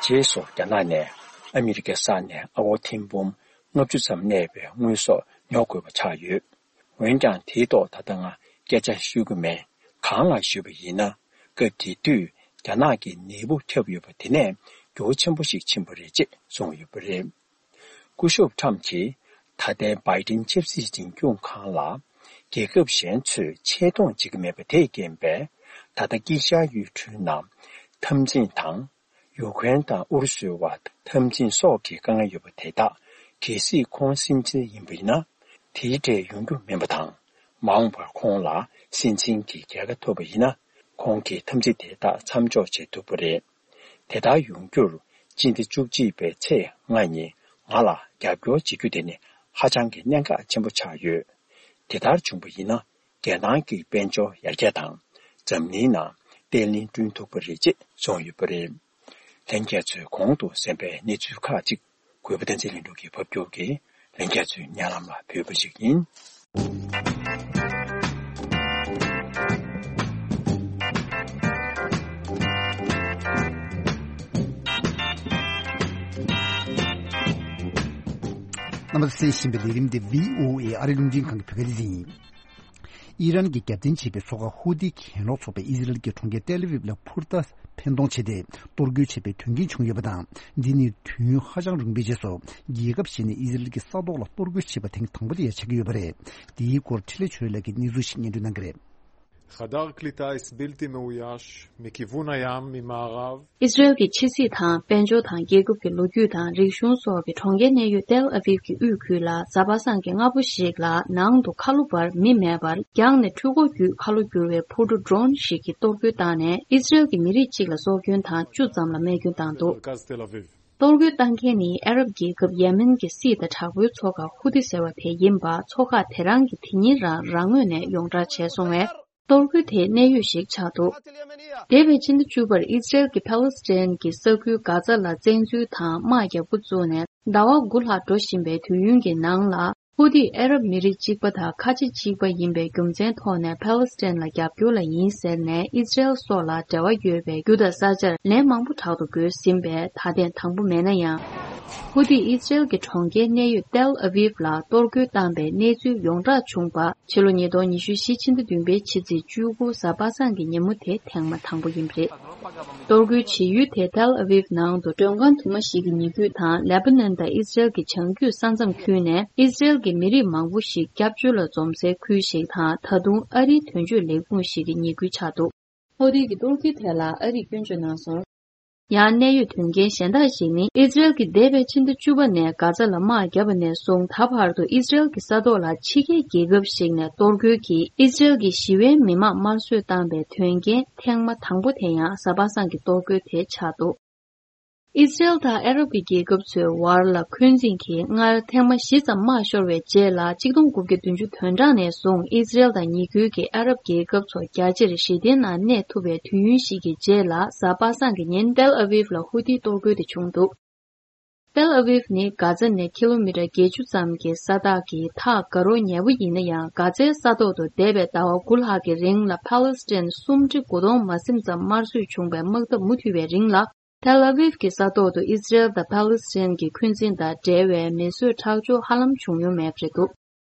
རྗེས་སུ་རྒྱ་ནག་ནས་ཨ་མི་རི་ཀའི་ས་ནས་ཨ་སྒོར་ཐེར་འབུམ་ལྔ་བཅུ་ཙམ་གནས་པའི་དངོས་ཟོག་ཉོ་དགོས་པ་ཆགས་ཡོད། འོན་ཀྱང་དེའི་ཐོག་ད་ལྟ་ང་སྐད་ཆ་ཤོད་ཀྱི་མེད། གང་ལགས་ཞུས་པ་ཡིན་ན། སྐབས་དེ་དུས་རྒྱ་ནག་གིས་ནད་འབུ་ཁྱབ་ཡོད་པ་དེ་ནས་འགྱུར་བ་ཆེན་པོ་ཞིག་ཕྱིན་པ་རེད་ཅེས་གསུངས་ཡོད་པ་རེད། སྐུ་ཞབས་ཁྲམ་གྱིས་ད་ལྟའི་བྷའི་ཏིན་ཆབ་སྲིད་འཛིན་སྐྱོང་ཁང་ལ་རྒྱལ་ཁབ་གཞན་ཚོས་ཆེ་མཐོང་བྱེད་ཀྱི་མེད་པ་དེས་རྐྱེན་པས། ད་ལྟ་དཀྱིལ་ཤར་ཡུལ་གྲུའི་ནང་འཐབ་འཛིང་དང་། ཡུ་ཁུ་རེན་དང་ཨུ་རུ་སུའི་བར་འཐབ་འཛིང་སོགས་ཀྱི་དཀའ་ངལ་ཡོད་པ་དེ་དག་གལ་སྲིད་ཁོང་སེམས་ཅན་ཡིན་པ་ཡིན་ན། དེའི་གྲས་ཡོང་རྒྱུ་མིན་པ་དང་། མ་འོངས་པར་ཁོང་ལ་སེམས་ཅན་གྱི་རྒྱལ་ཁ་ཐོབ་པ་ཡིན་ན། ཁོང་གིས་འཐབ་འཛིང་དེ་དག་མཚམས་འཇོག་བྱེད་ཐུབ་པ་རེད། དེ་ལྟར་ཡོང་རྒྱུར་སྤྱི་ཟླ་བཅུ་གཅིག་པའི་ཚེས་ལྔ་ཉིན་ང་ལ་རྒྱབ་སྐྱོར་བྱེད་རྒྱུ་དེ་ནི་ཧ་ཅང་གི་གནད་འགག་ཆེན་པོ་ཆགས་ཡོད། དེ་ལྟར་བྱུང་པ་ཡིན་ན། རྒྱལ་ནང་གི་དཔལ་འབྱོར་ཡར་རྒྱས་དང་། འཛམ་གླིང་ནང་བརྟན་ལྷིང་བསྐྲུན་ཐུབ་པ་རེད་ཅེས་གསུངས་ཡོད་པ་རེད། ལྷན་རྒྱས་ཚོས་གོང་དུ་གསན་པའི་གནས་ཚུལ་ཁག་ཅིག་གུས་པ་བསྟན་འཛིན་ལྷུན་གྲུབ་ཀྱིས་ཕབ་སྒྱུར་གྱིས་ལྷན་རྒྱས་ཚོའི་སྙན་ལམ་ལ་ཕུལ་བ་ཞིག་ཡིན། རྣམ་པ་གསན་བཞིན་པའི་ལས་རིམ་འདི་བྷི་ཨོ་ཨེ་ཨ་རིའི་རླུང་འཕྲིན་ཁང་གི་བོད་སྐད་སྡེ་ཚན་ཡིན། ཨི་རན་གྱིས་རྒྱབ་རྟེན་བྱེད་པའི་ཚོགས་ཁག་ཧུ་ཏི་གྱེན་ལོག་ཚོགས་པས་ཨི་ཟི་རལ་གྱི་གྲོང་ཁྱེར་ཏེལ་ཨ་བིབ་ལ་འཕུར་མདའ་འཕེན་གཏོང་བྱས་ཏེ་གཏོར་རྒོལ་བྱས་པའི་དོན་རྐྱེན་བྱུང་ཡོད་པ་དང་། འདི་ནི་དུས་ཡུན་ཧ་ཅང་རིང་པོའི་རྗེས་སུ་རྒྱལ་ཁབ་གཞན་ནས་ཨི་ཟི་རལ་གྱི་ས་ཐོག་ལ་གཏོར་རྒོལ་བྱས་པ་ཐེངས་དང་པོ་དེ་ཡང་ཆགས་ཀྱི་ཡོད་པ་རེད། འདིའི་སྐོར་འཕྲིན་ལས་ཆོས་ལགས་ཀྱིས་གནས་ཚུལ་ཞིག་སྙན་སྒྲོན་གནང་གི་རེད། חדר קליטה בלתי מאויש מכיוון הים ממערב. ཨི་སི་རེལ་གྱི་ཕྱི་སྲིད་དང་། དཔལ་འབྱོར་དང་། རྒྱལ་ཁབ་ཀྱི་ལོ་རྒྱུས་དང་། རིག་གཞུང་སོགས་ཀྱི་གྲོང་ཁྱེར་གནས་ཡུལ་ཏེལ་ཨ་བིབ་ཀྱི་དབུས་ཁུལ་ལ་གཟའ་པ་སངས་ཀྱི་སྔ་པོ་ཞིག་ལ་ནང་དུ་ཁ་ལོ་བར་མི་མེད་པར། རྒྱང་ནས་འཕྲུལ་འཁོར་བརྒྱུད་ཁ་ལོ་བསྒྱུར་བའི་འཕུར་གྲུ་ཌོ་རོན་ཞིག་གིས་གཏོར་རྒོལ་བཏང་ནས། ཨི་སི་རེལ་གྱི་མི་རིགས་གཅིག་ལ་སྲོག་སྐྱོན་དང་བཅུ་ཙམ་ལ་རྨས་སྐྱོན་བཏང་འདུག་མרכז תל אביב. གཏོར་རྒོལ་བཏང་མཁན་ནི་ཨ་རབ་རྒྱལ་ཁབ་ཡེ་མེན་གྱི་སྲིད་དང་དྲག་པོའི་ཚོགས་ཁག་ཧུ་ཏི་ཟེར་བ་དེ་ཡིན་པ། ཚོགས་ཁག་དེ་རང་གིས་དེ་ཉིན་རང་རང་ངོས་ནས་ཡོངས་བསྒྲགས་བྱས་སོང་བས། གཏོར་རྒོལ་དེ་གནད་ཡོད་ཞིག་ཆགས་འདུག་འདས་པའི་ཕྱི་ཟླ་བཅུ་པར་ཨི་སི་རེལ་གྱིས་ཕཱ་ལེ་སི་ཐན་གྱི་ས་ཁུལ་གྷ་ཛ་ལ་བཙན་འཛུལ་དང་དམག་རྒྱག་འགོ་བཙུགས་ནས་ཟླ་བ་དགུ་ལྷག་འགྲོ་བཞིན་པའི་དུས་ཡུན་གྱི་ནང་ལ། ཧུ་ཏིས་ཨ་རབ་མི་རིགས་གཅིག་པ་དང་ཁ་ཆེ་གཅིག་པ་ཡིན་པའི་རྒྱུ་མཚན་ཐོག་ནས་ཕཱ་ལེ་སི་ཐན་ལ་རྒྱབ་སྐྱོར་ལ་ཡིན་ཟེར་ནས་ཨི་སི་རེལ་སོགས་ལ་འབྲེལ་བ་ཡོད་པའི་རྒྱུ་དང་ས་ཆར་ལན་མང་པོ་དྲག་ཏུ་བགོས་ཟིན་པས་ད་ཐེངས་དང་པོ་མེད་ན་ཡང་། ཧུ་ཏིས་ཨི་སི་རེལ་གྱི་གྲོང་ཁྱེར་གནས་ཡུལ་ཏེལ་ཨ་བིབ་ལ་གཏོར་རྒོལ་བཏང་པའི་གནས་ཚུལ་ཡོངས་གྲགས་བྱུང་བ། ཕྱི་ལོ་ཉིས་སྟོང་ཉི་ཤུ་རྩ་བཞི་ཕྱི་ཟླ་བདུན་པའི་ཕྱི་ཚེས་བཅུ་དགུ་གཟའ་པ་སངས་ཀྱི་ཉིན་མོ་དེ་ཐེངས་མ་དང་པོ་ཡིན་པ་རེད། གཏོར་རྒོལ་བྱེད་ཡུལ་དེ་ཏེལ་ཨ་བིབ་ནང་དུ་མགྲོན་ཁང་དུ་མ་ཞིག་གི་ཉེ་ཁུལ་དང་། ལེ་པ་ནན་དང་ཨི་སི་རེལ་གྱི་བྱང་རྒྱུད་ས་མཚམས་ཁུལ་ནས་ཨི་སི་རེལ་གྱི་མི་རིགས་མང་པོ་ཞིག་སྐྱབས་བཅོལ་ལ་འཛོམས་སའི་ཁུལ་ཞིག་དང་། ད་དུང་ཨ་རིའི་དོན་གཅོད་ལས་ཁུངས་ཤིག་གི་ཉེ་ཁུལ་ཆགས་འདུག་ཧོ་ཏི་གི་གཏོར་རྒོལ་ཐད་ལ་ཨ་རིས་སྐྱོན་བརྗོད་གནང་སོང་། ཡང་གནད་ཡོད་དོན་རྐྱེན་གཞན་དག་ཞིག་ནི། ཨི་སི་རེལ་གྱིས་འདས་པའི་ཕྱི་ཟླ་བཅུ་པ་ནས་གྷ་ཛ་ལ་དམག་བརྒྱབ་པ་ནས་བཟུང་ད་བར་དུ་ཨི་སི་རེལ་གྱི་ས་ཐོག་ལ་ཕྱི་རྒྱལ་རྒྱལ་ཁབ་ཞིག་ནས་གཏོར་རྒོལ་གྱིས་ཨི་སི་རེལ་གྱི་ཞི་བའི་མི་མང་དམར་གསོད་བཏང་པའི་དོན་རྐྱེན་ཐེངས་མ་དང་པོ་དེ་ཡང་གཟའ་པ་སངས་ཀྱི་གཏོར་རྒོལ་དེ་ཆགས་འདུག་ཨི་སི་རེལ་དང་ཨ་རབ་ཀྱི་རྒྱལ་ཁབ་ཚོའི་བར་ལ་འཁོན་འཛིན་གྱིས་སྔར་ཐེངས་མ་བཞི་ཙམ་དམག་ཤོར་བའི་རྗེས་ལ་ཆིག་སྟོང་དགུ་བརྒྱ་བདུན་ཅུ་དོན་གྲངས་ནས་བཟུང་ཨི་སི་རེལ་དང་ཉེ་ཁུལ་གྱི་ཨ་རབ་རྒྱལ་ཁབ་ཚོ་རྒྱ་ཆེར་ཞི་བདེའི་ནང་གནས་ཐུབ་པའི་དུས་ཡུན་ཞིག་གི་རྗེས་ལ་གཟའ་པ་སངས་ཀྱི་ཉིན་ཏེལ་ཨ་བིབ་ལ་ཧུ་ཏིའི་གཏོར་རྒོལ་དེ་བྱུང་འདུག་ཏེལ་ཨ་བིབ་ནི་གྷ་ཛ་ནས་ཀི་ལོ་མི་ཊར་བརྒྱད་ཅུ་ཙམ་གྱི་ས་ཐག་གི་ཐག་དགའ་རོགས་ཉེ་བོ་ཡིན་ན་ཡང་། གྷ་ཛའི་ས་ཐོག་ཏུ་འདས་པའི་ཟླ་བ་དགུ་ལྷག་གི་རིང་ལ་ཕཱ་ལེ་སི་ཐན་སུམ་ཁྲི་དགུ་སྟོང་མ་ཟིན་ཙམ་དམར་གསོད་བྱུང་བའི་དམག་འཐབ་མུ་མཐུད་པའི་རིང་ལ། ཏེལ་ཨ་བིབ་ཀྱི་ས་ཐོག་ཏུ་ཨི་སི་རེལ་དང་ཕཱ་ལེ་སི་ཐན་གྱི་འཁོན་འཛིན་དང་འབྲེལ་བའི་མེ་གསོད་ཁྲག་སྦྱོར་ཧ་ལམ་བྱུང་མྱོང་མེད་པ་རེད་འདུག་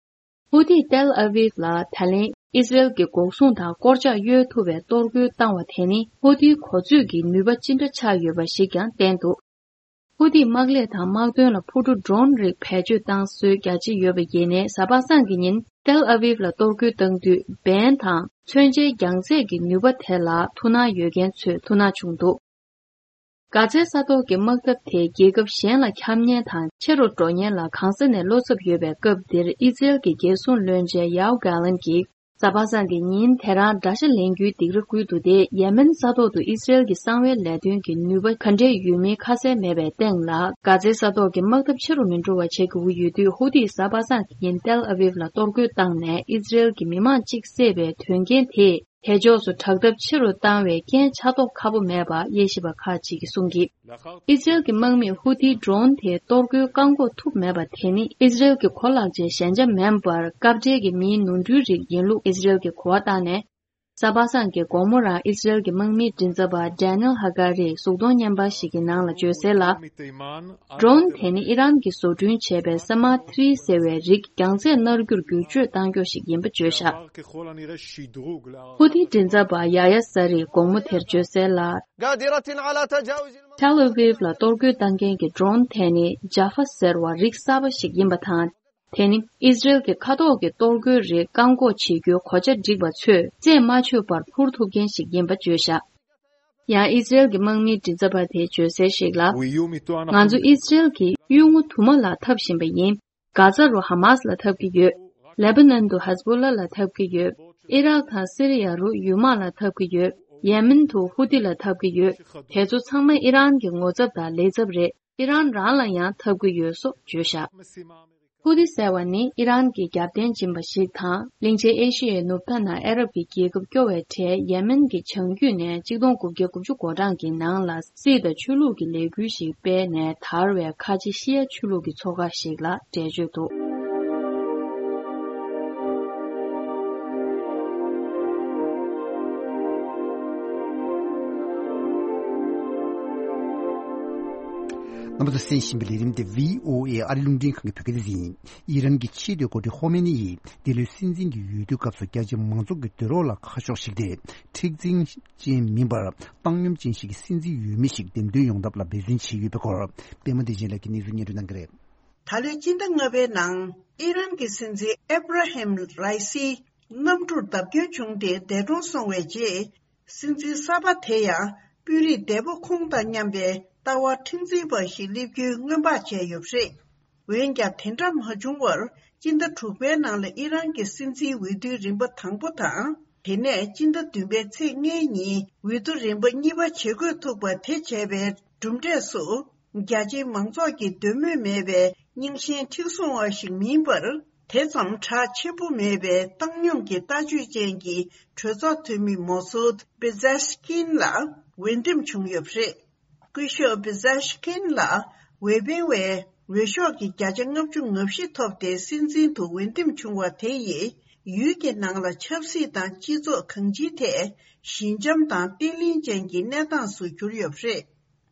ཧུ་ཏིས་ཏེལ་ཨ་བིབ་ལ་ད་ལན་ཨི་སི་རེལ་གྱི་འགོག་སྲུང་དང་སྐོར་ལྕག་གཡོལ་ཐུབ་པའི་གཏོར་རྒོལ་བཏང་བ་དེ་ནི་ཧུ་ཏིའི་གོ་ཚོད་ཀྱི་ནུས་པ་ཅི་འདྲ་ཆགས་ཡོད་པ་ཞིག་ཀྱང་བསྟན་འདུག་ཧུ་ཏིས་དམག་ལས་དང་དམག་དོན་ལ་འཕུར་གྲུ་ཌོ་རོན་རིགས་བེད་སྤྱོད་བཏང་སྲོལ་རྒྱ་ཆེ་ཡོད་པ་ཡིན་ནའི། གཟའ་པ་སངས་ཀྱི་ཉིན་ཏེལ་ཨ་བིབ་ལ་གཏོར་རྒོལ་བཏང་དུས་འབེན་དང་མཚོན་ཆའི་རྒྱང་ཚད་ཀྱི་ནུས་པ་དེ་ལ་ཐུགས་སྣང་ཡོད་མཁན་ཚོས་ཐུགས་སྣང་བྱུང་འདུག་གྷ་ཛའི་ས་ཐོག་གི་དམག་འཐབ་དེ་རྒྱལ་ཁབ་གཞན་ལ་ཁྱབ་ཉེན་དང་ཆེ་རུ་འགྲོ་ཉེན་ལ་གང་ས་ནས་བློ་འཚབ་ཡོད་པའི་སྐབས་འདིར། ཨི་སི་རེལ་གྱི་རྒྱལ་སྲུང་བློན་ཆེན་ཡའོ་གྷ་ལན་གྱིས། གཟའ་པ་སངས་ཀྱི་ཉིན་དེ་རང་དགྲ་ཤ་ལེན་རྒྱུའི་སྡིགས་ར་བསྐུལ་འདུག་སྟེ། ཡེ་མེན་ས་ཐོག་ཏུ་ཨི་སི་རེལ་གྱི་གསང་བའི་ལས་དོན་གྱི་ནུས་པ་ག་འདྲས་ཡོད་མིན་ཁ་གསལ་མེད་པའི་སྟེང་ལ། གྷ་ཛའི་ས་ཐོག་གི་དམག་འཐབ་ཆེ་རུ་མི་འགྲོ་བ་བྱེད་དགོས་ཀྱི་ཡོད་དུས། ཧུ་ཐིས་གཟའ་པ་སངས་ཀྱི་ཉིན་ཏེལ་ཨ་ཝིབ་ལ་གཏོར་རྒོལ་བཏང་ནས་ཨི་སི་རེལ་གྱི་མི་མང་གཅིག་བསད་པའི་དོན་རྐྱེན་དེས། དེ་ཕྱོགས་སུ་དྲག་འཐབ་ཆེ་རུ་བཏང་བའི་རྐྱེན་ཆགས་མདོག་ཁ་པོ་མེད་པ་དབྱེ་ཞིབ་པ་ཁག་ཅིག་གིས་གསུང་གིས། ཨི་སི་རེལ་གྱི་དམག་མིས་ཧུ་ཐིའི་ཌྲོན་དེ་གཏོར་རྒོལ་བཀག་འགོག་ཐུབ་མེད་པ་དེ་ནི། ཨི་སི་རེལ་གྱི་གོ་ལག་ཅན་ཞན་ཆ་མིན་པར། སྐབས་འབྲེལ་གྱི་མིའི་ནོར་འཁྲུལ་རིགས་ཡིན་ལུགས་ཨི་སི་རེལ་གྱིས་གོ་བ་བཏང་ནས། གཟའ་པ་སངས་ཀྱི་དགོང་མོ་རང་ཨི་སི་རེལ་གྱི་དམག་མིའི་མགྲིན་ཚབ་པ་ཌེ་ནེལ་ཧ་ཀ་རིས་གཟུགས་མཐོང་བརྙན་པར་ཞིག་གི་ནང་ལ་བརྗོད་གསལ་ལ། ཌྲོན་དེ་ནི་ཨི་རན་གྱིས་བཟོ་སྐྲུན་བྱས་པའི་ས་མ་ཐི་རི་ཟེར་བའི་རིགས་རྒྱང་ཚད་སྣར་རྒྱུར་བསྒྱུར་བཅོས་གཏང་རྒྱུ་ཞིག་ཡིན་པ་བརྗོད་བཞག་ཧུ་ཐི་མགྲིན་ཚབ་པ་ཡ་ཡ་ས་རིས་དགོང་མོ་དེར་བརྗོད་གསལ་ལ། قادرة على تجاوز ཐེལ་ཨ་ཝིབ་ལ་གཏོར་རྒོལ་བཏང་མཁན་གྱི་ཌྲོན་དེ་ནི་ཇཱ་ཧྥ་ཟེར་བ་རིགས་གསར་པ་ཞིག་ཡིན་པ་དང་། དེ་ནི་ཨི་སི་རེལ་གྱི་མཁའ་ཐོག་གི་གཏོར་རྒོལ་རིགས་བཀག་འགོག་བྱེད་རྒྱུའི་གོ་ཆ་བསྒྲིགས་པ་ཚོས་རྩད་མ་ཆོད་པར་འཕུར་ཐུབ་མཁན་ཞིག་ཡིན་པ་བརྗོད་བཞག་ཡང་ཨི་སི་རེལ་གྱི་དམག་མིའི་མགྲིན་ཚབ་པ་དེས་བརྗོད་གསལ་ཞིག་ལ། ང་ཚོ་ཨི་སི་རེལ་གྱིས་གཡུལ་ངོ་དུ་མ་ལ་འཐབ་བཞིན་པ་ཡིན། གྷ་ཛ་རུ་ཧ་མཱས་ལ་འཐབ་ཀྱི་ཡོད། ལེ་བྷ་ནན་དུ་ཧེ་ཛ་བྷོ་ལ་ལ་འཐབ་ཀྱི་ཡོད། ཨི་རག་དང་སི་རི་ཡ་རུ་ཡུ་མ་ལ་འཐབ་ཀྱི་ཡོད། ཡེ་མེན་དུ་ཧུ་ཐི་ལ་འཐབ་ཀྱི་ཡོད། དེ་ཚོ་ཚང་མ་ཨི་རན་གྱི་ངོ་ཚབ་དང་ལས་ཚབ་རེད། ཨི་རན་རང་ལ་ཡང་འཐབ་ཀྱི་ཡོད་སོགས་བརྗོད་བཞག་ཧུ་ཐི་ཟེར་བ་ནི་ཨི་རན་གྱི་རྒྱབ་རྟེན་སྦྱིན་པ་ཞིག་དང་། གླིང་ཆེན་ཨེ་ཤི་ཡའི་ནུབ་མཐའ་ན་ཨ་རབ་ཀྱི་རྒྱལ་ཁབ་སྐྱོ་བའི་གྲས་ཡེ་མེན་གྱི་བྱང་རྒྱུད་ནས་གཅིག་སྟོང་དགུ་བརྒྱ་དགུ་བཅུ་གོ་གྲངས་ཀྱི་ནང་ལ་སྲིད་དང་ཆོས་ལུགས་ཀྱི་ལས་འགུལ་ཞིག་སྤེལ་ནས། དར་བའི་ཁ་ཆེ་ཤི་ཡ་ཆོས་ལུགས་ཀྱི་ཚོགས་ཁག་ཞིག་ལ་འགྲེལ་བརྗོད་འདུག་རྣམ་པ་ཚོ་གསན་བཞིན་པའི་ལས་རིམ་དེ་བྷི་ཨོ་ཨེ་ཨ་རི་རླུང་འཕྲིན་ཁང་གི་བོད་སྐད་སྡེ་ཚན་ཡིན། ཨི་རན་གྱི་ཆེས་མཐོའི་འགོ་ཁྲིད་ཁོ་མེ་ནི་ཡིས་འདི་ལོའི་སྲིད་འཛིན་གྱི་འོས་བསྡུའི་སྐབས་སུ་རྒྱ་ཆེ་མང་ཚོགས་ཀྱི་འདོད་རོགས་ལ་ཁ་ཕྱོགས་ཤིག་སྟེ། མཁྲེགས་འཛིན་ཅན་མིན་པར་བཏང་སྙོམས་ཅན་ཞིག་གི་སྲིད་འཛིན་འོས་མི་ཞིག་འདེམས་ཐོན་ཡོང་ཐབས་ལ་འབད་བརྩོན་བྱས་ཡོད་པའི་སྐོར། པད་མ་བདེ་ཆེན་ལགས་ཀྱིས་གནས་ཚུལ་སྙན་སྒྲོན་གནང་གི་རེད། ད་ལོའི་སྤྱི་ཟླ་ལྔ་པའི་ནང་ཨི་རན་གྱི་སྲིད་འཛིན་ཨེབ་ར་ཧེམ་རའི་སི་གནམ་གྲུར་བརྡབ་སྐྱོན་བྱུང་སྟེ་འདས་གྲོངས་སོང་བའི་རྗེས། སྲིད་འཛིན་གསར་པ་དེ་ཡང་དཔོན་རིགས་འདས་པོ་ཁོང་དང་མཉམ་པའི་ལྟ་བ་མཁྲེགས་འཛིན་པ་ཞིག་སླེབས་རྒྱུའི་སྔོན་དཔག་བྱས་ཡོད་པ་རེད། འོན་ཀྱང་དེ་འདྲ་མ་བྱུང་བར། སྤྱི་ཟླ་དྲུག་པའི་ནང་ལ་ཨི་རན་གྱི་སྲིད་འཛིན་འོས་བསྡུའི་རིམ་པ་དང་པོ་དང་། དེ་ནས་སྤྱི་ཟླ་བདུན་པའི་ཚེས་ལྔའི་ཉིན་འོས་བསྡུ་རིམ་པ་གཉིས་པ་བྱེད་དགོས་ཐུག་པ་དེ་བྱས་པའི་གྲུབ་འབྲས་སུ། རྒྱ་ཆེའི་མང་ཚོགས་ཀྱི་འདོད་མོས་མེད་པའི་རྙིང་ཞེན་མཁྲེགས་བཟུང་བ་ཞིག་མིན་པར། དེ་ཙམ་གྲགས་ཆེན་པོ་མེད་པའི་བཏང་སྙོམས་ཀྱི་ལྟ་སྤྱོད་ཅན་གྱི་གྲོས་ཚོགས་འཐུས་མི་མོ་སུད་པེ་ཛེ་ཤི་ཀིན་ལ་འོས་འདེམས་བྱུང་ཡོད་པ་རེད། སྐུ་ཞབས་པེ་ཛེ་ཤི་ཀིན་ལ་འོས་འཕེན་པའི་འོས་ཤོག་གི་བརྒྱ་ཆ་ལྔ་བཅུ་ང་བཞི་ཐོབ་སྟེ་སྲིད་འཛིན་དུ་འོས་འདེམས་བྱུང་བ་དེ་ཡིས་ཡུལ་གྱི་ནང་ལ་ཆབ་སྲིད་དང་སྤྱི་ཚོགས་གང་ཅིའི་ཐད་ཞི་འཇམ་དང་བརྟན་ལྷིང་ཅན་གྱི་གནས་སྟངས་སུ་གྱུར་ཡོད་པ་རེད།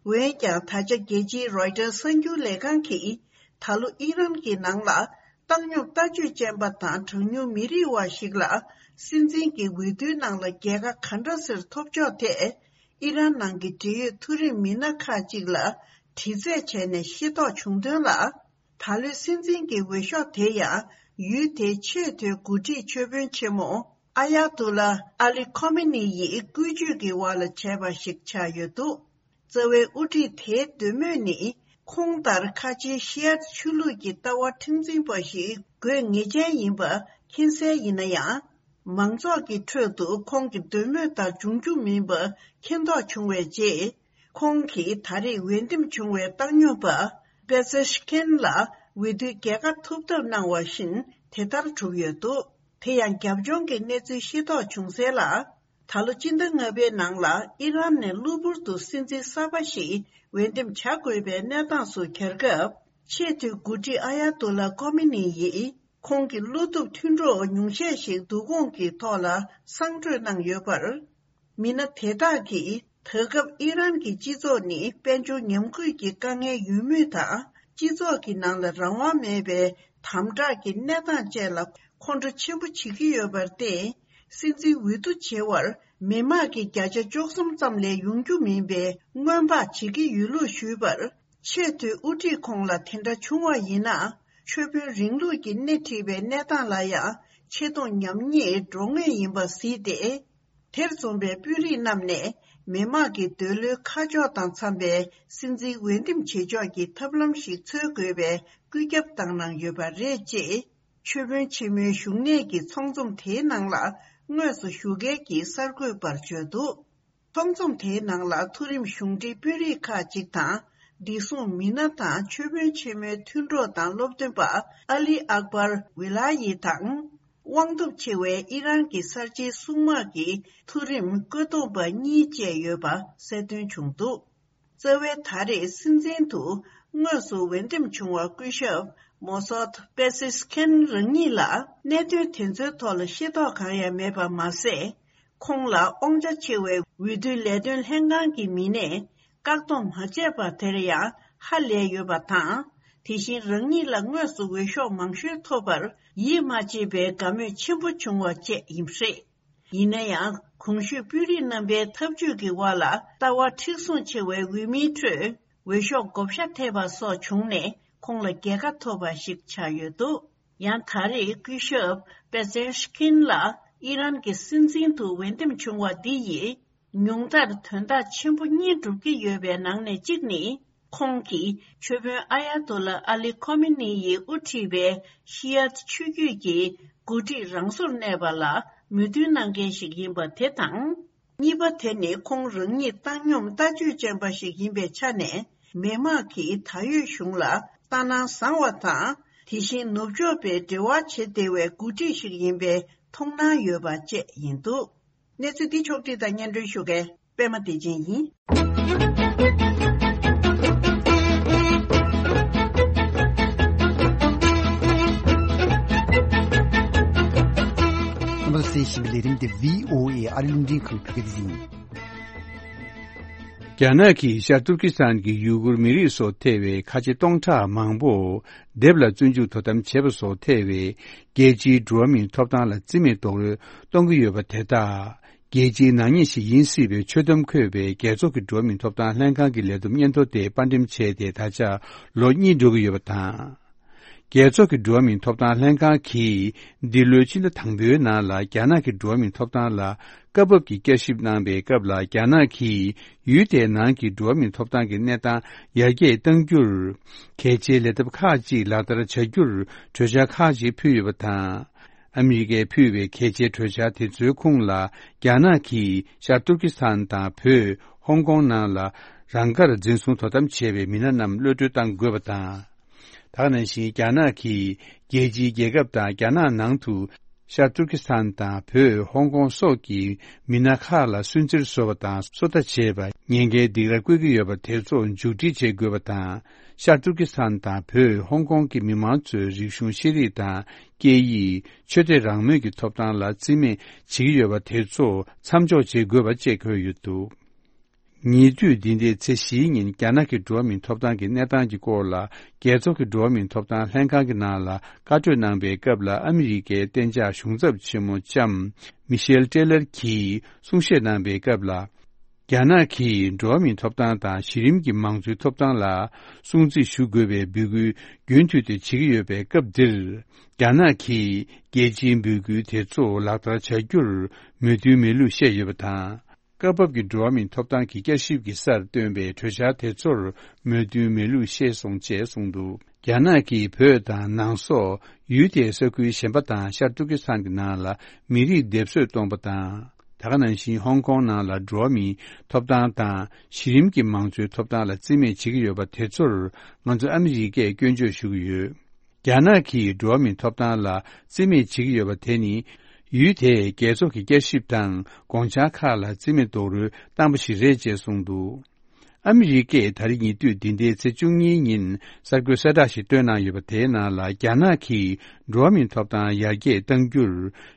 འོན་ཀྱང་། ད་ཆ་རྒྱལ་སྤྱིའི་རོའི་ཊར་གསར་འགྱུར་ལས་ཁང་གིས་ད་ལོ་ཨི་རན་གྱི་ནང་ལ་བཏང་སྙོམས་ལྟ་སྤྱོད་ཅན་པ་དང་གྲངས་ཉུང་མི་རིགས་བ་ཞིག་ལ་སྲིད་འཛིན་གྱི་འོས་བསྡུའི་ནང་ལ་རྒྱལ་ཁ་ག་འདྲ་སེ་ཐོབ་ཕྱོགས་ཐད། ཨི་རན་ནང་གི་འབྲེལ་ཡོད་མཐོ་རིམ་མི་སྣ་ཁག་ཅིག་ལ་དྲི་རྩད་བྱས་ནས་ཤེས་རྟོགས་བྱུང་དོན་ལ། ད་ལོའི་སྲིད་འཛིན་གྱི་འོས་ཤོག་དེ་ཡང་ཡུལ་དེའི་ཆེས་མཐོའི་འགོ་ཁྲིད་ཆོས་དཔོན་ཆེན་མོ་ཨ་ཡ་ཏུ་ལ་ཨ་ལི་ཁོ་མེ་ནི་ཡིས་བཀོལ་སྤྱོད་ཀྱི་འོག་ལ་བྱས་པ་ཞིག་ཆགས་ཡོད་འདུག་རྩ་བའི་དབུ་ཁྲིད་དེའི་འདོད་མོས་ནི། ཁོང་ལྟར་ཁ་ཆེའི་ཤི་ཡ་ཆོས་ལུགས་ཀྱི་ལྟ་བ་མཁྲེགས་འཛིན་པ་ཞིག་དགོས་ངེས་ཅན་ཡིན་པ་མཁྱེན་གསལ་ཡིན་ན་ཡང་། མང་ཚོགས་ཀྱི་ཁྲོད་དུ་ཁོང་གི་འདོད་མོས་ལྟར་འབྱུང་རྒྱུ་མིན་པ་མཁྱེན་རྟོགས་བྱུང་བའི་རྗེས། ཁོང་གིས་ད་རེས་འོས་འདེམས་བྱུང་བའི་བཏང་སྙོམས་པ་པེ་ཛེ་ཤི་ཀིན་ལ་འོས་བསྡུའི་རྒྱལ་ཁ་ཐོབ་ཐབས་གནང་བ་བཞིན་དེ་ལྟར་གྲུབ་ཡོད་འདུག་དེ་ཡང་རྒྱབ་ལྗོངས་ཀྱི་གནས་ཚུལ་ཤེས་རྟོགས་བྱུང་གསལ་ལ། ད་ལོ་སྤྱི་ཟླ་ལྔ་པའི་ནང་ལ་ཨི་རན་ནས་གློ་བུར་དུ་སྲིད་འཛིན་གསར་པ་ཞིག་འོས་འདེམས་བྱ་དགོས་པའི་གནས་སྟངས་སུ་གྱར་སྐབས། ཆེས་མཐོའི་འགོ་ཁྲིད་ཨ་ཡ་ཏུ་ལ་ཀོ་མི་ནི་ཡིས་ཁོང་གི་བློ་སྟོབས་མཐུན་གྲོགས་ཉུང་ཤས་ཤིག་བསྡུ་སྐོང་གི་ཐོག་ལ་གསང་གྲོས་གནང་ཡོད་པར། མི་སྣ་དེ་དག་གིས་ད་སྐབས་ཨི་རན་གྱི་སྤྱི་ཚོགས་ནི་དཔལ་འབྱོར་ཉམས་རྒུད་ཀྱི་དཀའ་ངལ་ཡོད་མུས་དང་། སྤྱི་ཚོགས་ཀྱི་ནང་ལ་རང་དབང་མེད་པའི་དམ་དྲག་གི་གནས་སྟངས་བཅས་ལ་ཁོང་ཁྲོ་ཆེན་པོ་བྱེད་ཀྱི་ཡོད་པར་བརྟེན། སྲིད་འཛིན་འོས་བསྡུ་བྱེད་པར་མི་དམངས་ཀྱི་བརྒྱ་ཆ་བཅུ་གསུམ་ཙམ་ལས་ཡོང་རྒྱུ་མིན་པའི་སྔོན་དཔག་བྱེད་ཀྱི་ཡོད་ལུགས་ཞུས་པར། ཆེས་མཐོའི་དབུ་ཁྲིད་ཁོང་ལ་དེ་འདྲ་བྱུང་བ་ཡིན་ན། ཆོས་དཔོན་རིང་ལུགས་ཀྱིས་སྣེ་ཁྲིད་པའི་གནས་སྟངས་ལ་ཡང་ཆེ་མཐོང་ཉམས་ཉེས་འགྲོ་ངེས་ཡིན་པ་གཟིགས་ཏེ། དེར་འཛོམས་པའི་དཔོན་རིགས་རྣམས་ནས་མི་དམངས་ཀྱི་འདོད་བློའི་ཁ་ཕྱོགས་དང་འཚམ་པའི་སྲིད་འཛིན་འོས་འདེམས་བྱེད་ཕྱོགས་ཀྱི་ཐབས་ལམ་ཞིག་འཚོལ་དགོས་པའི་བཀོད་ཁྱབ་བཏང་གནང་ཡོད་པ་རེད། ཅེས་ ཆོས་དཔོན་ཆེན་མོའི་བཞུགས་གནས་ཀྱི་ཚོགས་འཛོམས་དེའི་ནང་ལ་དངོས་སུ་ཞུགས་མཁན་གྱི་གསར་འགོད་པར་བརྗོད་འདུག། ཚོགས་འཛོམས་དེའི་ནང་ལ་མཐོ་རིམ་གཞུང་འབྲེལ་དཔོན་རིགས་ཁག་ཅིག་དང་། བདེ་སྲུང་མི་སྣ་དང་ཆོས་དཔོན་ཆེན་མོའི་མཐུན་གྲོགས་དང་སློབ་སྟོན་པ་ཨ་ལི་ཨག་པར་ཝི་ལ་ཡི་དང་། དབང་སྟོབས་ཆེ་བའི་ཨི་རན་གྱི་གསར་བརྗེའི་སྲུང་དམག་གི་མཐོ་རིམ་བཀོད་འདོམས་པ་གཉིས་བཅས་ཡོད་པ་གསལ་སྟོན་བྱུང་འདུག། རྩ་བའི་ད་རེས་སྲིད་འཛིན་དུ་དངོས་སུ་འོས་འདེམས་བྱུང་བ་སྐུ་ཞབས་མོ་སོད་པེ་སེ་སི་ཁན་རང་ཉིད་ལ་གནད་དོན་དེ་ཚོའི་ཐོག་ལ་ཤེས་རྟོགས་གང་ཡང་མེད་པ་མ་ཟད། ཁོང་ལ་དབང་ཆ་ཆེ་བའི་འོས་བསྡུའི་ལས་དོན་ལྷན་ཁང་གི་མི་སྣས་བཀག་སྡོམ་མ་བྱས་པ་དེར་ཡང་ཧ་ལས་ཡོད་པ་དང་། དེ་བཞིན་རང་ཉིད་ལ་དངོས་སུ་འོས་ཤོག་མང་ཤོས་ཐོབ་པར་ཡིད་མ་ཆེས་པའི་དགའ་མོས་ཆེན་པོ་བྱུང་བ་བཅས་ཡིན་པ་རེད། ཡིན་ན་ཡང་གོང་ཞུས་དཔོན་རིགས་རྣམ་པའི་ཐབས་ཇུས་ཀྱི་དབང་ལ་ལྟ་བ་མཁྲེགས་བཟུང་ཆེ་བའི་འོས་མིའི་ཁྲོད་འོས་ཤོག་བགོ་བཤའ་ཐེབས་པ་སོགས་བྱུང་ནས་ཁོང་ལ་རྒྱལ་ཁ་ཐོབ་པ་ཞིག་ཆགས་ཡོད་འདུག། ཡང་ད་རེས་སྐུ་ཞབས་པེ་ཛེ་ཤི་ཀིན་ལ་ཨི་རན་གྱི་སྲིད་འཛིན་དུ་འོས་འདེམས་བྱུང་བ་འདི་ཡིས་ཉུང་མཐར་དོན་དག་ཆེན་པོ་གཉིས་འགྲུབ་ཀྱི་ཡོད་པའི་ནང་ནས་གཅིག་ནི། ཁོང་གིས་ཆོས་དཔོན་ཨ་ཡ་ཏོ་ལ་ཨ་ལི་ཁོ་མེ་ནི་ཡིས་དབུ་ཁྲིད་པའི་ཤི་ཡ་ཆོས་བརྒྱུད་ཀྱི་འགོ་ཁྲིད་རང་སོར་གནས་པ་ལ་མོས་མཐུན་གནང་མཁན་ཞིག་ཡིན་པ་དེ་དང་། གཉིས་པ་དེ་ནི་ཁོང་རང་ཉིད་བཏང་སྙོམས་ལྟ་སྤྱོད་ཅན་པ་ཞིག་ཡིན་པའི་ཆ་ནས། མི་དམངས་ཀྱིས་ད་ཡོད་གཞུང་ལ་ལྟ་སྣང་བཟང་བ་དང་། དེ་བཞིན་ནུབ་ཕྱོགས་པའི་འབྲེལ་བ་བྱེད་བདེ་བའི་འགོ་ཁྲིད་ཞིག་ཡིན་པའི་མཐོང་སྣང་ཡོད་པ་བཅས་ཡིན་འདུག། གནས་ཚུལ་འདི་ཕྱོགས་བསྒྲིགས་དང་སྙན་སྒྲོན་ཞུ་མཁན་པད་མ་བདེ་ཆེན་ཡིན། རྣམ་པ་གསན་བཞིན་པའི་ལས་རིམ་དེ་བྷི་ཨོ་ཨེ་ཨ་རི་རླུང་འཕྲིན་ཁང་བོད་སྐད་སྡེ་ཚན་ཡིན། རྒྱ་ནག་གིས་ཤར་ཏུར་ཀི་སི་ཐན་གྱི་ཡུ་གུར་མི་རིགས་སུ་ཐེ་བའི་ཁ་ཆེ་སྟོང་ཕྲག་མང་པོ་སྡེབ་ལ་བཙོན་འཇུག་དོ་དམ་བྱས་པ་སོགས་ཐེ་བའི་རྒྱལ་སྤྱིའི་འགྲོ་བ་མིའི་ཐོབ་ཐང་ལ་རྩིས་མེད་རྡོག་རོལ་གཏོང་གི་ཡོད་པ་དེ་དག་རྒྱལ་སྤྱིའི་ནག་ཉེས་ཤིག་ཡིན་སྲིད་པའི་ཆོད་གཏམ་འཁོད་པའི་རྒྱལ་ཚོགས་ཀྱི་འགྲོ་བ་མིའི་ཐོབ་ཐང་ལྷན་ཁང་གི་ལས་བསྡོམས་སྙན་ཐོ་དེ་དཔར་འགྲེམས་བྱས་ཏེ་ད་ཆ་ལོ་གཉིས་འགྲོ་གི་ཡོད་པ་དང་། རྒྱལ་ཚོགས་ཀྱི་འགྲོ་བ་མིའི་ཐོབ་ཐང་ལྷན་ཁང་གིས་འདི་ལོའི་ཕྱི་ཟླ་དང་པོའི་ནང་ལ་རྒྱ་ནག་གི་འགྲོ་བ་མིའི་ཐོབ་ཐང་ལ་སྐབས་བབ་ཀྱི་བསྐྱར་ཞིབ་གནང་པའི་སྐབས་ལ། རྒྱ་ནག་གིས་ཡུལ་དེའི་ནང་གི་འགྲོ་བ་མིའི་ཐོབ་ཐང་གི་གནས་སྟངས་ཡར་རྒྱས་གཏང་རྒྱུར་གལ་ཆེའི་ལས་ཐབས་ཁག་ཅིག་ལག་བསྟར་བྱ་རྒྱུར་གྲོས་འཆར་ཁག་ཅིག་ཕུལ་ཡོད་པ་དང་། ཨ་མི་རི་ཀས་ཕུལ་བའི་གལ་ཆེའི་གྲོས་འཆར་དེ་ཚོའི་ཁོངས་ལ། རྒྱ་ནག་གིས་ཤར་ཏུར་ཀི་སི་ཐན་དང་བོད་ཧོང་ཀོང་ནང་ལ་རང་དགར་འཛིན་བཟུང་དོ་དམ་བྱས་པའི་མི་སྣ་རྣམས་གློད་གྲོལ་གཏང་དགོས་པ་དང་། ད་ག་ནང་བཞིན་རྒྱ་ནག་གིས་རྒྱལ་སྤྱིའི་རྒྱལ་ཁབ་དང་རྒྱ་ནག་ནང་དུ་ཤར་ཏུར་ཀི་སི་ཐན་དང་བོད་ཧོང་ཀོང་སོགས་ཀྱི་མི་སྣ་ཁག་ལ་སུན་གཙེར་བཟོ་བ་དང་སོ་ལྟ་བྱས་པ། ཉེན་ཁའི་སྡིགས་ར་བསྐུལ་གྱི་ཡོད་པ་དེ་ཚོ་མཇུག་སྒྲིལ་བྱེད་དགོས་པ་དང་། ཤར་ཏུར་ཀི་སི་ཐན་དང་བོད་ཧོང་ཀོང་གི་མི་མང་ཚོའི་རིག་གཞུང་ཤེས་རིག་དང་སྐད་ཡིག་ཆོས་དད་རང་མོས་ཀྱི་ཐོབ་ཐང་ལ་རྩིས་མེད་བྱེད་ཀྱི་ཡོད་པ་དེ་ཚོ་མཚམས་འཇོག་བྱེད་དགོས་པ་བཅས་འཁོད་ཡོད་འདུག། ཉེ་དུས་འདི་ཟླའི་ཚེས་བཞིའི་ཉིན་རྒྱ་ནག་གི་འགྲོ་བ་མིའི་ཐོབ་ཐང་གི་གནས་སྟངས་ཀྱི་སྐོར་ལ། རྒྱལ་ཚོགས་ཀྱི་འགྲོ་བ་མིའི་ཐོབ་ཐང་ལྷན་ཁང་གི་ནང་ལ་བཀའ་གྲོས་གནང་པའི་སྐབས་ལ། ཨ་མི་རི་ཀའི་གཏན་འཇགས་གཞུང་ཚབ་ཆེན་མོ་ལྕམ་མི་ཤེལ་ཏྲེ་ལར་གྱིས་གསུང་བཤད་གནང་པའི་སྐབས་ལ། རྒྱ་ནག་གིས་འགྲོ་བ་མིའི་ཐོབ་ཐང་དང་གཞི་རིམ་གྱི་མང་གཙོའི་ཐོབ་ཐང་ལ་སྲུང་བརྩི་ཞུ་དགོས་པའི་འབོད་སྐུལ་རྒྱུན་མཐུད་དེ་བྱེད་ཀྱི་ཡོད་པའི་སྐབས་འདིར། རྒྱ་ནག་གིས་རྒྱལ་སྤྱིའི་འབོད་སྐུལ་དེ་ཚོ་ལག་བསྟར་བྱ་རྒྱུར་མོས་མཐུན་མེད་ལུགས་བཤད་ཡོད་པ་དང་། སྐབས་བབ་ཀྱི་འགྲོ་བ་མིའི་ཐོབ་ཐང་གི་བསྐྱར་ཞིབ་ཀྱི་སར་བཏོན་པའི་གྲོས་འཆར་དེ་ཚོར་མོས་མཐུན་མེད་ལུགས་བཤད་སོང་ཅེས་གསུངས་འདུག། རྒྱ་ནག་གིས་བོད་དང་ནང་སོག་ཡུལ་དེའི་ས་ཁུལ་གཞན་པ་དང་ཤར་ཏུར་ཀི་སི་ཐན་གྱི་ནང་ལ་མི་རིགས་སྡེབ་གསོད་གཏོང་པ་དང་། ད་ག་ནང་བཞིན་ཧོང་ཀོང་ནང་ལ་འགྲོ་བ་མིའི་ཐོབ་ཐང་དང་གཞི་རིམ་གྱི་མང་གཙོའི་ཐོབ་ཐང་ལ་རྩིས་མེད་བྱེད་ཀྱི་ཡོད་པ་དེ་ཚོར་ང་ཚོ་ཨ་མི་རི་ཀས་སྐྱོན་བརྗོད་ཞུ་གི་ཡོད། རྒྱ་ནག་གིས་འགྲོ་བ་མིའི་ཐོབ་ཐང་ལ་རྩིས་མེད་བྱེད་ཀྱི་ཡོད་པ་དེ་ནི། ཡུལ་དེས་རྒྱལ་ཚོགས་ཀྱི་བསྐྱར་ཞིབ་དང་དགོངས་འཆར་ཁག་ལ་རྩིས་མེད་རྡོག་རོལ་བཏང་པ་ཞིག་རེད་ཅེས་གསུངས་འདུག། ཨ་མི་རི་ཀས་ད་རེས་ཉེ་དུས་འདི་ཟླའི་ཚེས་བཅུ་གཉིས་ཉིན་གསར་འགོད་གསལ་བསྒྲགས་ཤིག་བཏོན་གནང་ཡོད་པ། དེའི་ནང་ལ་རྒྱ་ནག་གིས་འགྲོ་བ་མིའི་ཐོབ་ཐང་ཡར་རྒྱས་གཏང་རྒྱུར་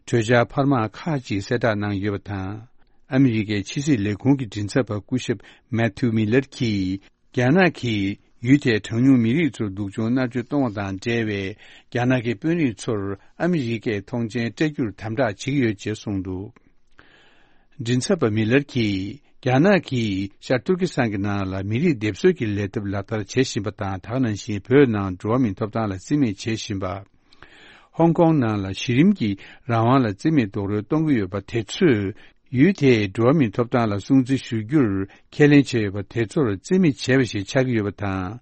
གྲོས་འཆར་འཕར་མ་ཁག་ཅིག་གསལ་བསྒྲགས་གནང་ཡོད་པ་དང་། ཨ་མི་རི་ཀའི་ཕྱི་སྲིད་ལས་ཁུངས་ཀྱི་མགྲིན་ཚབ་པ་སྐུ་ཞབས་མེ་ཐིའུ་མི་ལར་གྱིས། རྒྱ་ནག་གིས་ཡུལ་དེའི་གྲངས་ཉུང་མི་རིགས་ཚོར་སྡུག་སྦྱོང་མནར་གཅོད་གཏོང་བ་དང་འབྲེལ་བའི་རྒྱ་ནག་གི་དཔོན་རིགས་ཚོར་ཨ་མི་རི་ཀས་ཐོངས་མཆན་སྤྲད་རྒྱུར་དམ་དྲག་བྱེད་ཀྱི་ཡོད་ཅེས་གསུངས་འདུག། མགྲིན་ཚབ་པ་མི་ལར་གྱིས། རྒྱ་ནག་གིས་ཤར་ཏུར་ཀི་སི་ཐན་གྱི་ནང་ལ་མི་རིགས་སྡེབ་གསོད་ཀྱི་ལས་ཐབས་ལག་བསྟར་བྱེད་བཞིན་པ་དང་། ད་ག་ནང་བཞིན་བོད་ནང་འགྲོ་བ་མིའི་ཐོབ་ཐང་ལ་རྩིས་མེད་བྱེད་བཞིན་པ། ཧོང་ཀོང་ནང་ལ་གཞི་རིམ་གྱི་རང་དབང་ལ་རྩིས་མེད་རྡོག་རོལ་གཏོང་གི་ཡོད་པ་དེ་ཚོས། ཡུལ་དེའི་འགྲོ་བ་མིའི་ཐོབ་ཐང་ལ་སྲུང་བརྩི་ཞུ་རྒྱུར་ཁས་ལེན་བྱས་ཡོད་པ་དེ་ཚོར་རྩིས་མེད་བྱས་པ་ཞིག་ཆགས་ཀྱི་ཡོད་པ་དང་།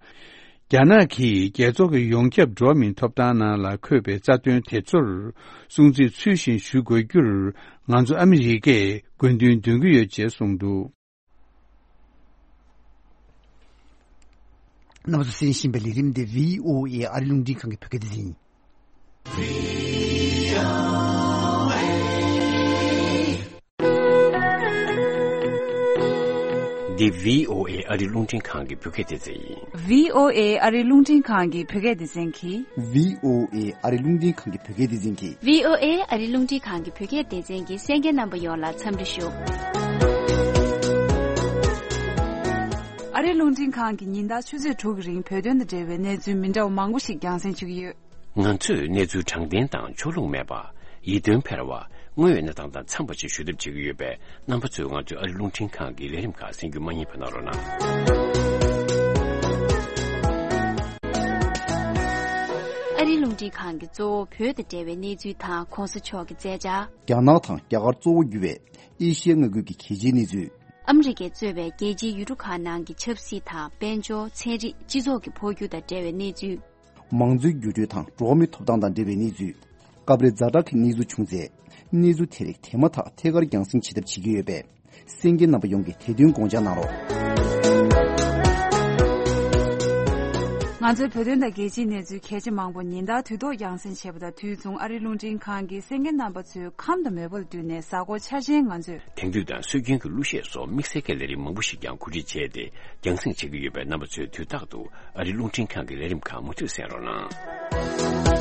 རྒྱ་ནག་གིས་རྒྱལ་ཚོགས་ཀྱི་ཡོངས་ཁྱབ་འགྲོ་བ་མིའི་ཐོབ་ཐང་ནང་ལ་འཁོད་པའི་རྩ་དོན་དེ་ཚོར་སྲུང་བརྩི་ཚུལ་བཞིན་ཞུ་དགོས་རྒྱུར་ང་ཚོ་ཨ་མི་རི་ཀས་དགོས་འདུན་འདོན་གྱི་ཡོད་ཅེས་གསུངས་འདུག། རྣམ་པ་ཚོས་གསན་བཞིན་པའི་ལས་རིམ་འདི་བྷི་ཨོ་ཨེ་ཨ་རི་རླུང་འཕྲིན་ཁང་གི་བོད་སྐད་སྡེ་ཚན་ཡིན། འདི་བྷི་ཨོ་ཨེ་ཨ་རི་རླུང་འཕྲིན་ཁང་གི་བོད་སྐད་སྡེ་ཚན་ཡིན། བྷི་ཨོ་ཨེ་ཨ་རི་རླུང་འཕྲིན་ཁང་གི་བོད་སྐད་སྡེ་ཚན་གྱིས། བྷི་ཨོ་ཨེ་ཨ་རི་རླུང་འཕྲིན་ཁང་གི་བོད་སྐད་སྡེ་ཚན་གྱིས། བྷི་ཨོ་ཨེ་ཨ་རི་རླུང་འཕྲིན་ཁང་གི་བོད་སྐད་སྡེ་ཚན་གྱི་གསན་མཁན་རྣམ་པ་ཡོངས་ལ་འཚམས་འདྲི་ཞུ། ཨ་རི་རླུང་འཕྲིན་ཁང་གིས་ཉིན་ལྟར་ཆུ་ཚོད་དྲུག་གི་རིང་བོད་དོན་དང་འབྲེལ་བའི་གནས་ཚུལ་མི་འདྲ་བ་མང་པོ་ཞིག་རྒྱང་སྲིང་བྱེད་ཀྱི་ཡོད། ང་ཚོས་གནས་ཚུལ་དྲང་བདེན་དང་ཕྱོགས་ལྷུང་མེད་པ། ཡིད་རྟོན་འཕེར་བ། དངོས་ཡོད་གནས་སྟངས་དང་འཚམས་པ་ཞིག་ཞུ་ཐབས་བྱེད་ཀྱི་ཡོད་པས། རྣམ་པ་ཚོས་ང་ཚོའི་ཨ་རི་རླུང་འཕྲིན་ཁང་གི་ལས་རིམ་ཁག་གསན་རྒྱུ་མ་བསྙེལ་བ་གནང་རོགས་གནང་། ཨ་རིའི་རླུང་འཕྲིན་ཁང་གི་གཙོ་བོ་བོད་དང་འབྲེལ་བའི་གནས་ཚུལ་དང་གོང་ས་མཆོག་གི་མཛད་འཆར། རྒྱ་ནག་དང་རྒྱ་གར་གཙོ་བོ་གྱུར་བའི་ཨེ་ཤི་ཡ་མངའ་ཁུལ་གྱི་གལ་ཆེའི་གནས་ཚུལ། ཨ་མི་རི་ཀས་གཙོས་པའི་རྒྱལ་སྤྱིའི་ཡུལ་གྲུ་ཁག་ནང་གི་ཆབ་སྲིད་དང་དཔལ་འབྱོར། ཚན་རིག་སྤྱི་ཚོགས་ཀྱི་འཕོ་འགྱུར་དང་འབྲེལ་བའི་གནས་ཚུལ། མང་གཙོའི་འགྱུར་འགྲོས་དང་འགྲོ་བ་མིའི་ཐོབ་ཐང་དང་འབྲེལ་བའི་གནས་ཚུལ། སྐབས་རེ་ཛ་དྲག་གི་གནས་ཚུལ་བྱུང་ཚེ། གནས་ཚུལ་དེ་རིགས་དེ་མ་ཐག་ཐད་ཀར་རྒྱང་སྲིང་བྱེད་ཐབས་བྱེད་ཀྱི་ཡོད་པས། གསན་མཁན་རྣམ་པ་ཡོངས་ཀྱིས་དེ་དོན་དགོངས་འཇགས་གནང་རོགས། ང་ཚོའི་བོད་དོན་དང་རྒྱལ་སྤྱིའི་གནས་ཚུལ་གལ་ཆེ་མང་པོ་ཉིན་ལྟར་དུས་ཐོག་རྒྱང་སྲིང་བྱེད་པ་དང་དུས་མཚུངས་ཨ་རིའི་རླུང་འཕྲིན་ཁང་གིས་གསན་མཁན་རྣམ་པ་ཚོའི་ཁམས་དང་མོས་པ་ལ་བསྟུན་ནས་གཟའ་འཁོར་འཆར་ཅན་ང་ཚོས། དེང་དུས་དང་སྲོལ་རྒྱུན་གྱི་གླུ་གཞས་སོགས་དམིགས་བསལ་གྱི་ལས་རིམ་མང་པོ་ཞིག་ཀྱང་གོ་སྒྲིག་བྱས་ཏེ་རྒྱང་སྲིང་བྱེད་ཀྱི་ཡོད་པས། རྣམ་པ་ཚོས་དུས་རྟག་ཏུ་ཨ་རིའི་རླུང་འཕྲིན་ཁང་གི་ལས་རིམ་ཁག་མུ་མཐུད་གསན་རོགས་གནང་།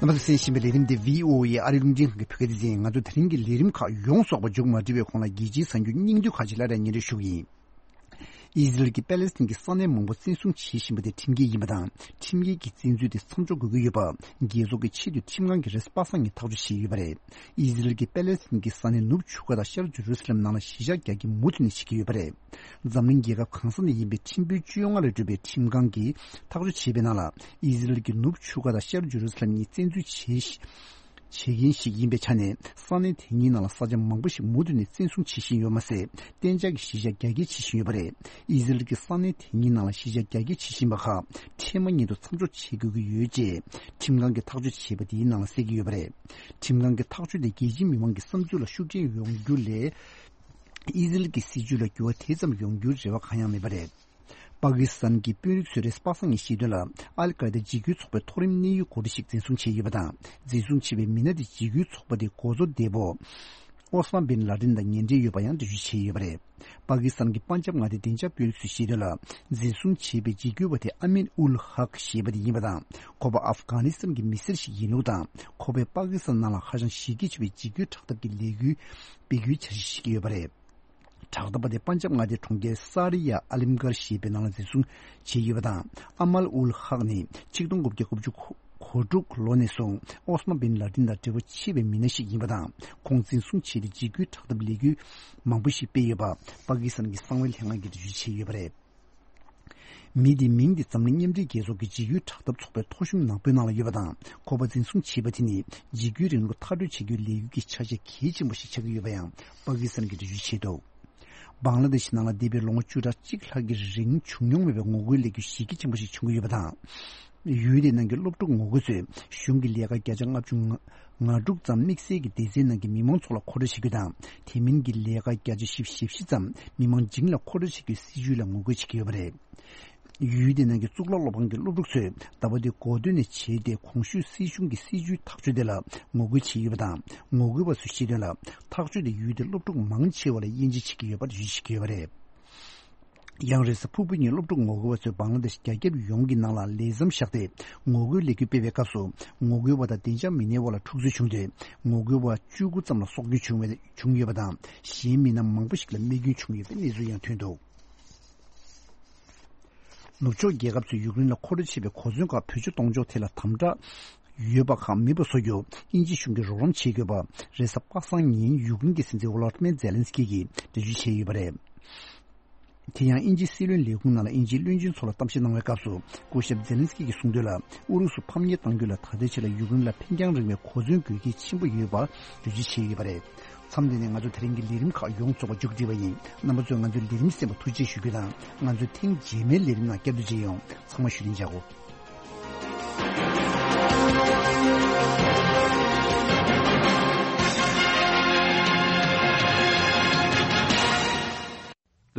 རྣམ་པ་ཚོས་གསན་བཞིན་པའི་ལས་རིམ་འདི་བྷི་ཨོ་ཨེ་ཨ་རིའི་རླུང་འཕྲིན་ཁང་གི་བོད་སྐད་སྡེ་ཚན་ཡིན། ང་ཚོ་དེ་རིང་གི་ལས་རིམ་ཁག་ཡོངས་རྫོགས་པ་མཇུག་མ་སྒྲིལ་བའི་གོང་ལ། རྒྱལ་སྤྱིའི་གསར་འགྱུར་སྙིང་བསྡུས་ཁག་ཅིག་སླར་ཡང་སྙན་སྒྲོན་ཞུ་གི་ཡིན། ཨི་ཟི་རལ་གྱིས་པེ་ལེ་སི་ཐན་གྱི་ས་གནས་མང་པོ་བཙན་བཟུང་བྱེད་བཞིན་པ་དེ་ཁྲིམས་འགལ་ཡིན་པ་དང་། ཁྲིམས་འགལ་གྱི་བཙན་འཛུལ་དེ་མཚམས་འཇོག་དགོས་ཀྱི་ཡོད་པ། རྒྱལ་ཚོགས་ཀྱི་ཆེས་མཐོའི་ཁྲིམས་ཁང་གིས་རེས་གཟའ་པ་སངས་ཉིན་ཐག་གཅོད་བྱས་ཡོད་པ་རེད། ཨི་ཟི་རལ་གྱིས་པེ་ལེ་སི་ཐན་གྱི་ས་གནས་ནུབ་ཆུ་ཁ་དང་ཤར་ཇེ་རུ་སི་ལེམ་ནང་ལ་གཞིས་ཆགས་རྒྱག་རྒྱུའི་མུ་མཐུད་ནས་བྱེད་ཀྱི་ཡོད་པ་རེད། འཛམ་གླིང་རྒྱལ་ཁབ་གང་ས་ནས་ཡིན་པའི་ཁྲིམས་དཔོན་བཅོ་ལྔ་ལས་གྲུབ་པའི་ཁྲིམས་ཁང་གིས་ཐག་གཅོད་བྱས་པའི་ནང་ལ། ཨི་ཟི་རལ་གྱིས་ནུབ་ཆུ་ཁ་དང་ཤར་ཇེ་རུ་སི་ལེམ་གཉིས་བཙན་འཛུལ་བྱེད། བྱེད་མཁན་ཞིག་ཡིན་པའི་ཆ་ནས། ས་གནས་དེ་གཉིས་ནང་ལ་ས་ཆ་མང་པོ་ཞིག་མུ་མཐུད་ནས་བཙན་བཟུང་བྱེད་བཞིན་ཡོད་མ་ཟད། གཏན་འཇགས་ཀྱི་གཞིས་ཆགས་རྒྱ་སྐྱེད་བྱེད་བཞིན་ཡོད་པ་རེད། ཨི་ཟི་རལ་གྱིས་ས་གནས་དེ་གཉིས་ནང་ལ་གཞིས་ཆགས་རྒྱ་སྐྱེད་བྱེད་བཞིན་པ་ཁག་འཕྲལ་མ་ཉིད་དུ་མཚམས་འཇོག་བྱེད་དགོས་ཀྱི་ཡོད་ཅེས་ཁྲིམས་ཁང་གིས་ཐག་གཅོད་བྱས་པ་དེའི་ནང་ལ་གསལ་གྱི་ཡོད་པ་རེད། ཁྲིམས་ཁང་གི་ཐག་གཅོད་དེ་རྒྱལ་སྤྱིའི་མི་མང་གི་བསམ་ཚུལ་ལ་ཤུགས་རྐྱེན་ཡོང་རྒྱུ་ལས། ཨི་ཟི་རལ་གྱི་སྲིད་བྱུས་ལ་འགྱུར་བ་དེ་ཙམ་ཡོང་རྒྱུའི་རེ་བ་གང་ཡང་མེད་པ་རེད། པ་ཀི་སི་ཐན་གྱི་དཔོན་རིགས་ཚོས་རེས་གཟའ་པ་སངས་ཉིན་བཤད་དོན་ལ། ཨལ་ཀའི་ད་འཇིགས་སྐུལ་ཚོགས་པའི་མཐོ་རིམ་གནད་ཡོད་འགོ་ཁྲིད་ཞིག་འཛིན་བཟུང་བྱས་ཡོད་པ་དང་། འཛིན་བཟུང་བྱས་པའི་མི་སྣ་དེ་འཇིགས་སྐུལ་ཚོགས་པ་དེའི་འགོ་གཙོ་འདས་པོ་ཨོ་སི་མ་བིན་ལ་ཏིན་དང་ངན་འབྲེལ་ཡོད་པ་ཡང་འགྲེལ་བརྗོད་བྱས་ཡོད་པ་རེད། པ་ཀི་སི་ཐན་གྱི་པན་ཇབ་མངའ་སྡེའི་བདེ་འཇགས་དཔོན་རིགས་ཚོས་བཤད་དོན་ལ། འཛིན་བཟུང་བྱས་པའི་འཇིགས་སྐུལ་བ་དེ་ཨ་མིན་ཨུལ་ཧག་ཞེས་པ་དེ་ཡིན་པ་དང་། ཁོ་པ་ཨབ་གྷ་ནི་སི་ཐན་གྱི་མི་སེར་ཞིག་ཡིན་ལུགས་དང་། ཁོ་པས་པ་ཀི་སི་ཐན་ནང་ལ་ཧ་ཅང་གཞི་རྒྱ་ཆེ་བའི་འཇིགས་སྐུལ་དྲག་འཐབ་ཀྱི་ལས་འགུལ་སྤེལ་རྒྱུའི་འཆར་གཞི་བཞེས་ཀྱི་ཡོད་པ་རེད། དྲག་འཐབ་པ་དེ་པན་ཇབ་མངའ་སྡེའི་གྲོང་ཁྱེར་ས་རི་ཡ་ཨ་ལིམ་གྷར་ཞེས་པའི་ནང་ལ་འཛིན་བཟུང་བྱས་ཡོད་པ་དང་། ཨ་མལ་ཨུལ་ཧག་ནི་ཆིག་སྟོང་དགུ་བརྒྱ་དགུ་བཅུ་གོ་དྲུག་ལོ་ནས་བཟུང་ཨོ་སི་མ་བིན་ལ་ཏིན་དང་འབྲེལ་བ་ཆེ་བའི་མི་སྣ་ཞིག་ཡིན་པ་དང་། ཁོང་འཛིན་བཟུང་བྱས་ཏེ་འཇིགས་སྐུལ་དྲག་འཐབ་ལས་འགུལ་མང་པོ་ཞིག་སྤེལ་ཡོད་པ་པ་ཀི་སི་ཐན་གྱི་གསང་བའི་ལྷན་ཁང་གིས་འགྲེལ་བརྗོད་བྱས་ཡོད་པ་རེད། མི་དེའི་མིང་དེ་འཛམ་གླིང་མཉམ་འབྲེལ་རྒྱལ་ཚོགས་ཀྱི་འཇིགས་སྐུལ་དྲག་འཐབ་ཚོགས་པའི་ཐོ་གཞུང་ནག་པོའི་ནང་ལ་ཡོད་པ་དང་། ཁོ་པ་འཛིན་བཟུང་བྱས་པ་དེ་ནི་འཇིགས་སྐུལ་རིང་ལུགས་མཐར་སྐྲོད་བྱེད་རྒྱུའི་ལས་འགུལ་གྱི་ཆ་ཤས་གལ་ཆེན་པོ་ཞིག་ཆགས་ཀྱི་ཡོད་པ་ཡང་པ་ཀི་སི་ཐན་གྱིས་འགྲེལ་བརྗོད་བྱས་འདུག། བང་ལ་དེ་ཤི་ནང་ལ་འདས་པའི་ལོ་ངོ་བཅུ་ཕྲག་གཅིག་ལྷག་གི་རིང་བྱུང་མྱོང་མེད་པའི་ངོ་རྒོལ་ལས་འགུལ་གཞི་རྒྱ་ཆེན་པོ་ཞིག་བྱུང་གི་ཡོད་པ་དང་། ཡུལ་དེའི་ནང་གི་སློབ་ཕྲུག་ངོ་རྒོལ་ཚོས་གཞུང་གི་ལས་ཀ་བརྒྱ་ཆ་ལྔ་བཅུ་ང་དྲུག་ཙམ་དམིགས་བསལ་གྱི་སྡེ་ཚན་ནང་གི་མི་མང་ཚོགས་ལ་མཁོ་སྤྲོད་བྱེད་རྒྱུ་དང་། དེ་མིན་གྱི་ལས་ཀ་བརྒྱ་ཆ་བཞི་བཅུ་ཞེ་བཞི་ཙམ་མི་མང་བྱིངས་ལ་མཁོ་སྤྲོད་བྱེད་རྒྱུའི་སྲིད་བྱུས་ལ་ངོ་རྒོལ་བྱེད་ཀྱི་ཡོད་པ་རེད། ཡུལ་དེའི་ནང་གི་གཙུག་ལག་སློབ་ཁང་གི་སློབ་ཕྲུག་ཚོས་ཟླ་བ་འདིའི་འགོ་སྟོད་ནས་བྱས་ཏེ། གོང་ཞུས་སྲིད་གཞུང་གི་སྲིད་བྱུས་ཐག་གཅོད་དེ་ལ་ངོ་རྒོལ་བྱས་ཡོད་པ་དང་། ངོ་རྒོལ་བ་ཚོས་བཤད་དོན་ལ། ཐག་གཅོད་དེ་ཡུལ་དེའི་སློབ་ཕྲུག་མང་ཆེ་བ་ལ་དབྱེ་འབྱེད་བྱེད་ཀྱི་ཡོད་པར་འགྲེལ་བརྗོད་བྱེད་ཀྱི་ཡོད་པ་རེད། ཡང་རེས་གཟའ་ཕུར་བུ་ཉིན་སློབ་ཕྲུག་ངོ་རྒོལ་བ་ཚོས་བང་ལ་དེ་ཤི་རྒྱ་ཁྱབ་ཡོངས་ཀྱི་ནང་ལ་ལས་མཚམས་བཞག་སྟེ་ངོ་རྒོལ་ལས་འགུལ་སྤེལ་བའི་སྐབས་སུ། ངོ་རྒོལ་བ་དང་བདེ་འཇགས་མི་སྣའི་དབར་ལ་འཁྲུག་རྩོད་བྱུང་སྟེ། ངོ་རྒོལ་བ་བཅུ་དགུ་ཙམ་ལ་སྲོག་སྐྱོན་བྱུང་བའི་བྱུང་ཡོད་པ་དང་། གཞན་མི་སྣ་མང་པོ་ཞིག་ལ་རྨས་སྐྱོན་བྱུང་ཡོད་པའི་གནས་ཚུལ་ཡང་ཐོན་འདུག། ནུབ་ཕྱོགས་རྒྱལ་ཁབ་ཚོས་ཡུཀ་རེན་ལ་མཁོ་སྤྲོད་བྱས་པའི་གོ་མཚོན་ཁག་བེད་སྤྱོད་གཏོང་ཕྱོགས་ཐད་ལ་དམ་དྲག་ཡོད་པ་ཁག་མེད་པ་བཟོ་རྒྱུར་དབྱིན་ཇི་གཞུང་གིས་རོགས་རམ་བྱེད་དགོས་པ། རེས་གཟའ་པ་སངས་ཉིན་ཡུཀ་རེན་གྱི་སྲིད་འཛིན་ཝོ་ལོ་ཏི་མེར་ཛེ་ལན་སི་ཀི་གིས་འགྲེལ་བརྗོད་བྱས་ཡོད་པ་རེད། དེ་ཡང་དབྱིན་ཇིའི་སྲིད་བློན་ལས་ཁུངས་ནང་ལ་དབྱིན་ཇིའི་བློན་ཆེན་ཚོ་ལ་གཏམ་བཤད་གནང་བའི་སྐབས་སུ། སྐུ་ཞབས་ཛེ་ལན་སི་ཀི་གིས་གསུངས་དོན་ལ། ཨུ་རུ་སུ་ཕམ་ཉེས་གཏང་རྒྱུ་ལ་ད་ལྟའི་ཆར་ལ་ཡུཀ་རེན་ལ་ཕན་རྐྱང་རིང་བའི་གོ་མཚོན་དགོས་གལ་ཆེན་པོ་ཡོད་པ་འགྲེལ་བརྗོད་བྱས་ཡོད་པ་རེད། མཚམས་འདི་ནས་ང་ཚོ་དེ་རིང་གི་ལས་རིམ་ཁག་ཡོངས་རྫོགས་པ་མཇུག་བསྒྲིལ་བ་ཡིན། རྣམ་པ་ཚོས་ང་ཚོའི་ལས་རིམ་གསན་པར་ཐུགས་རྗེ་ཞུ་རྒྱུ་དང་། ང་ཚོའི་ཐེངས་རྗེས་མའི་ལས་རིམ་ནང་བསྐྱར་དུ་མཇལ་ཡོང་། ཚང་མ་བཞུགས་རིན་བྱ་དགོས།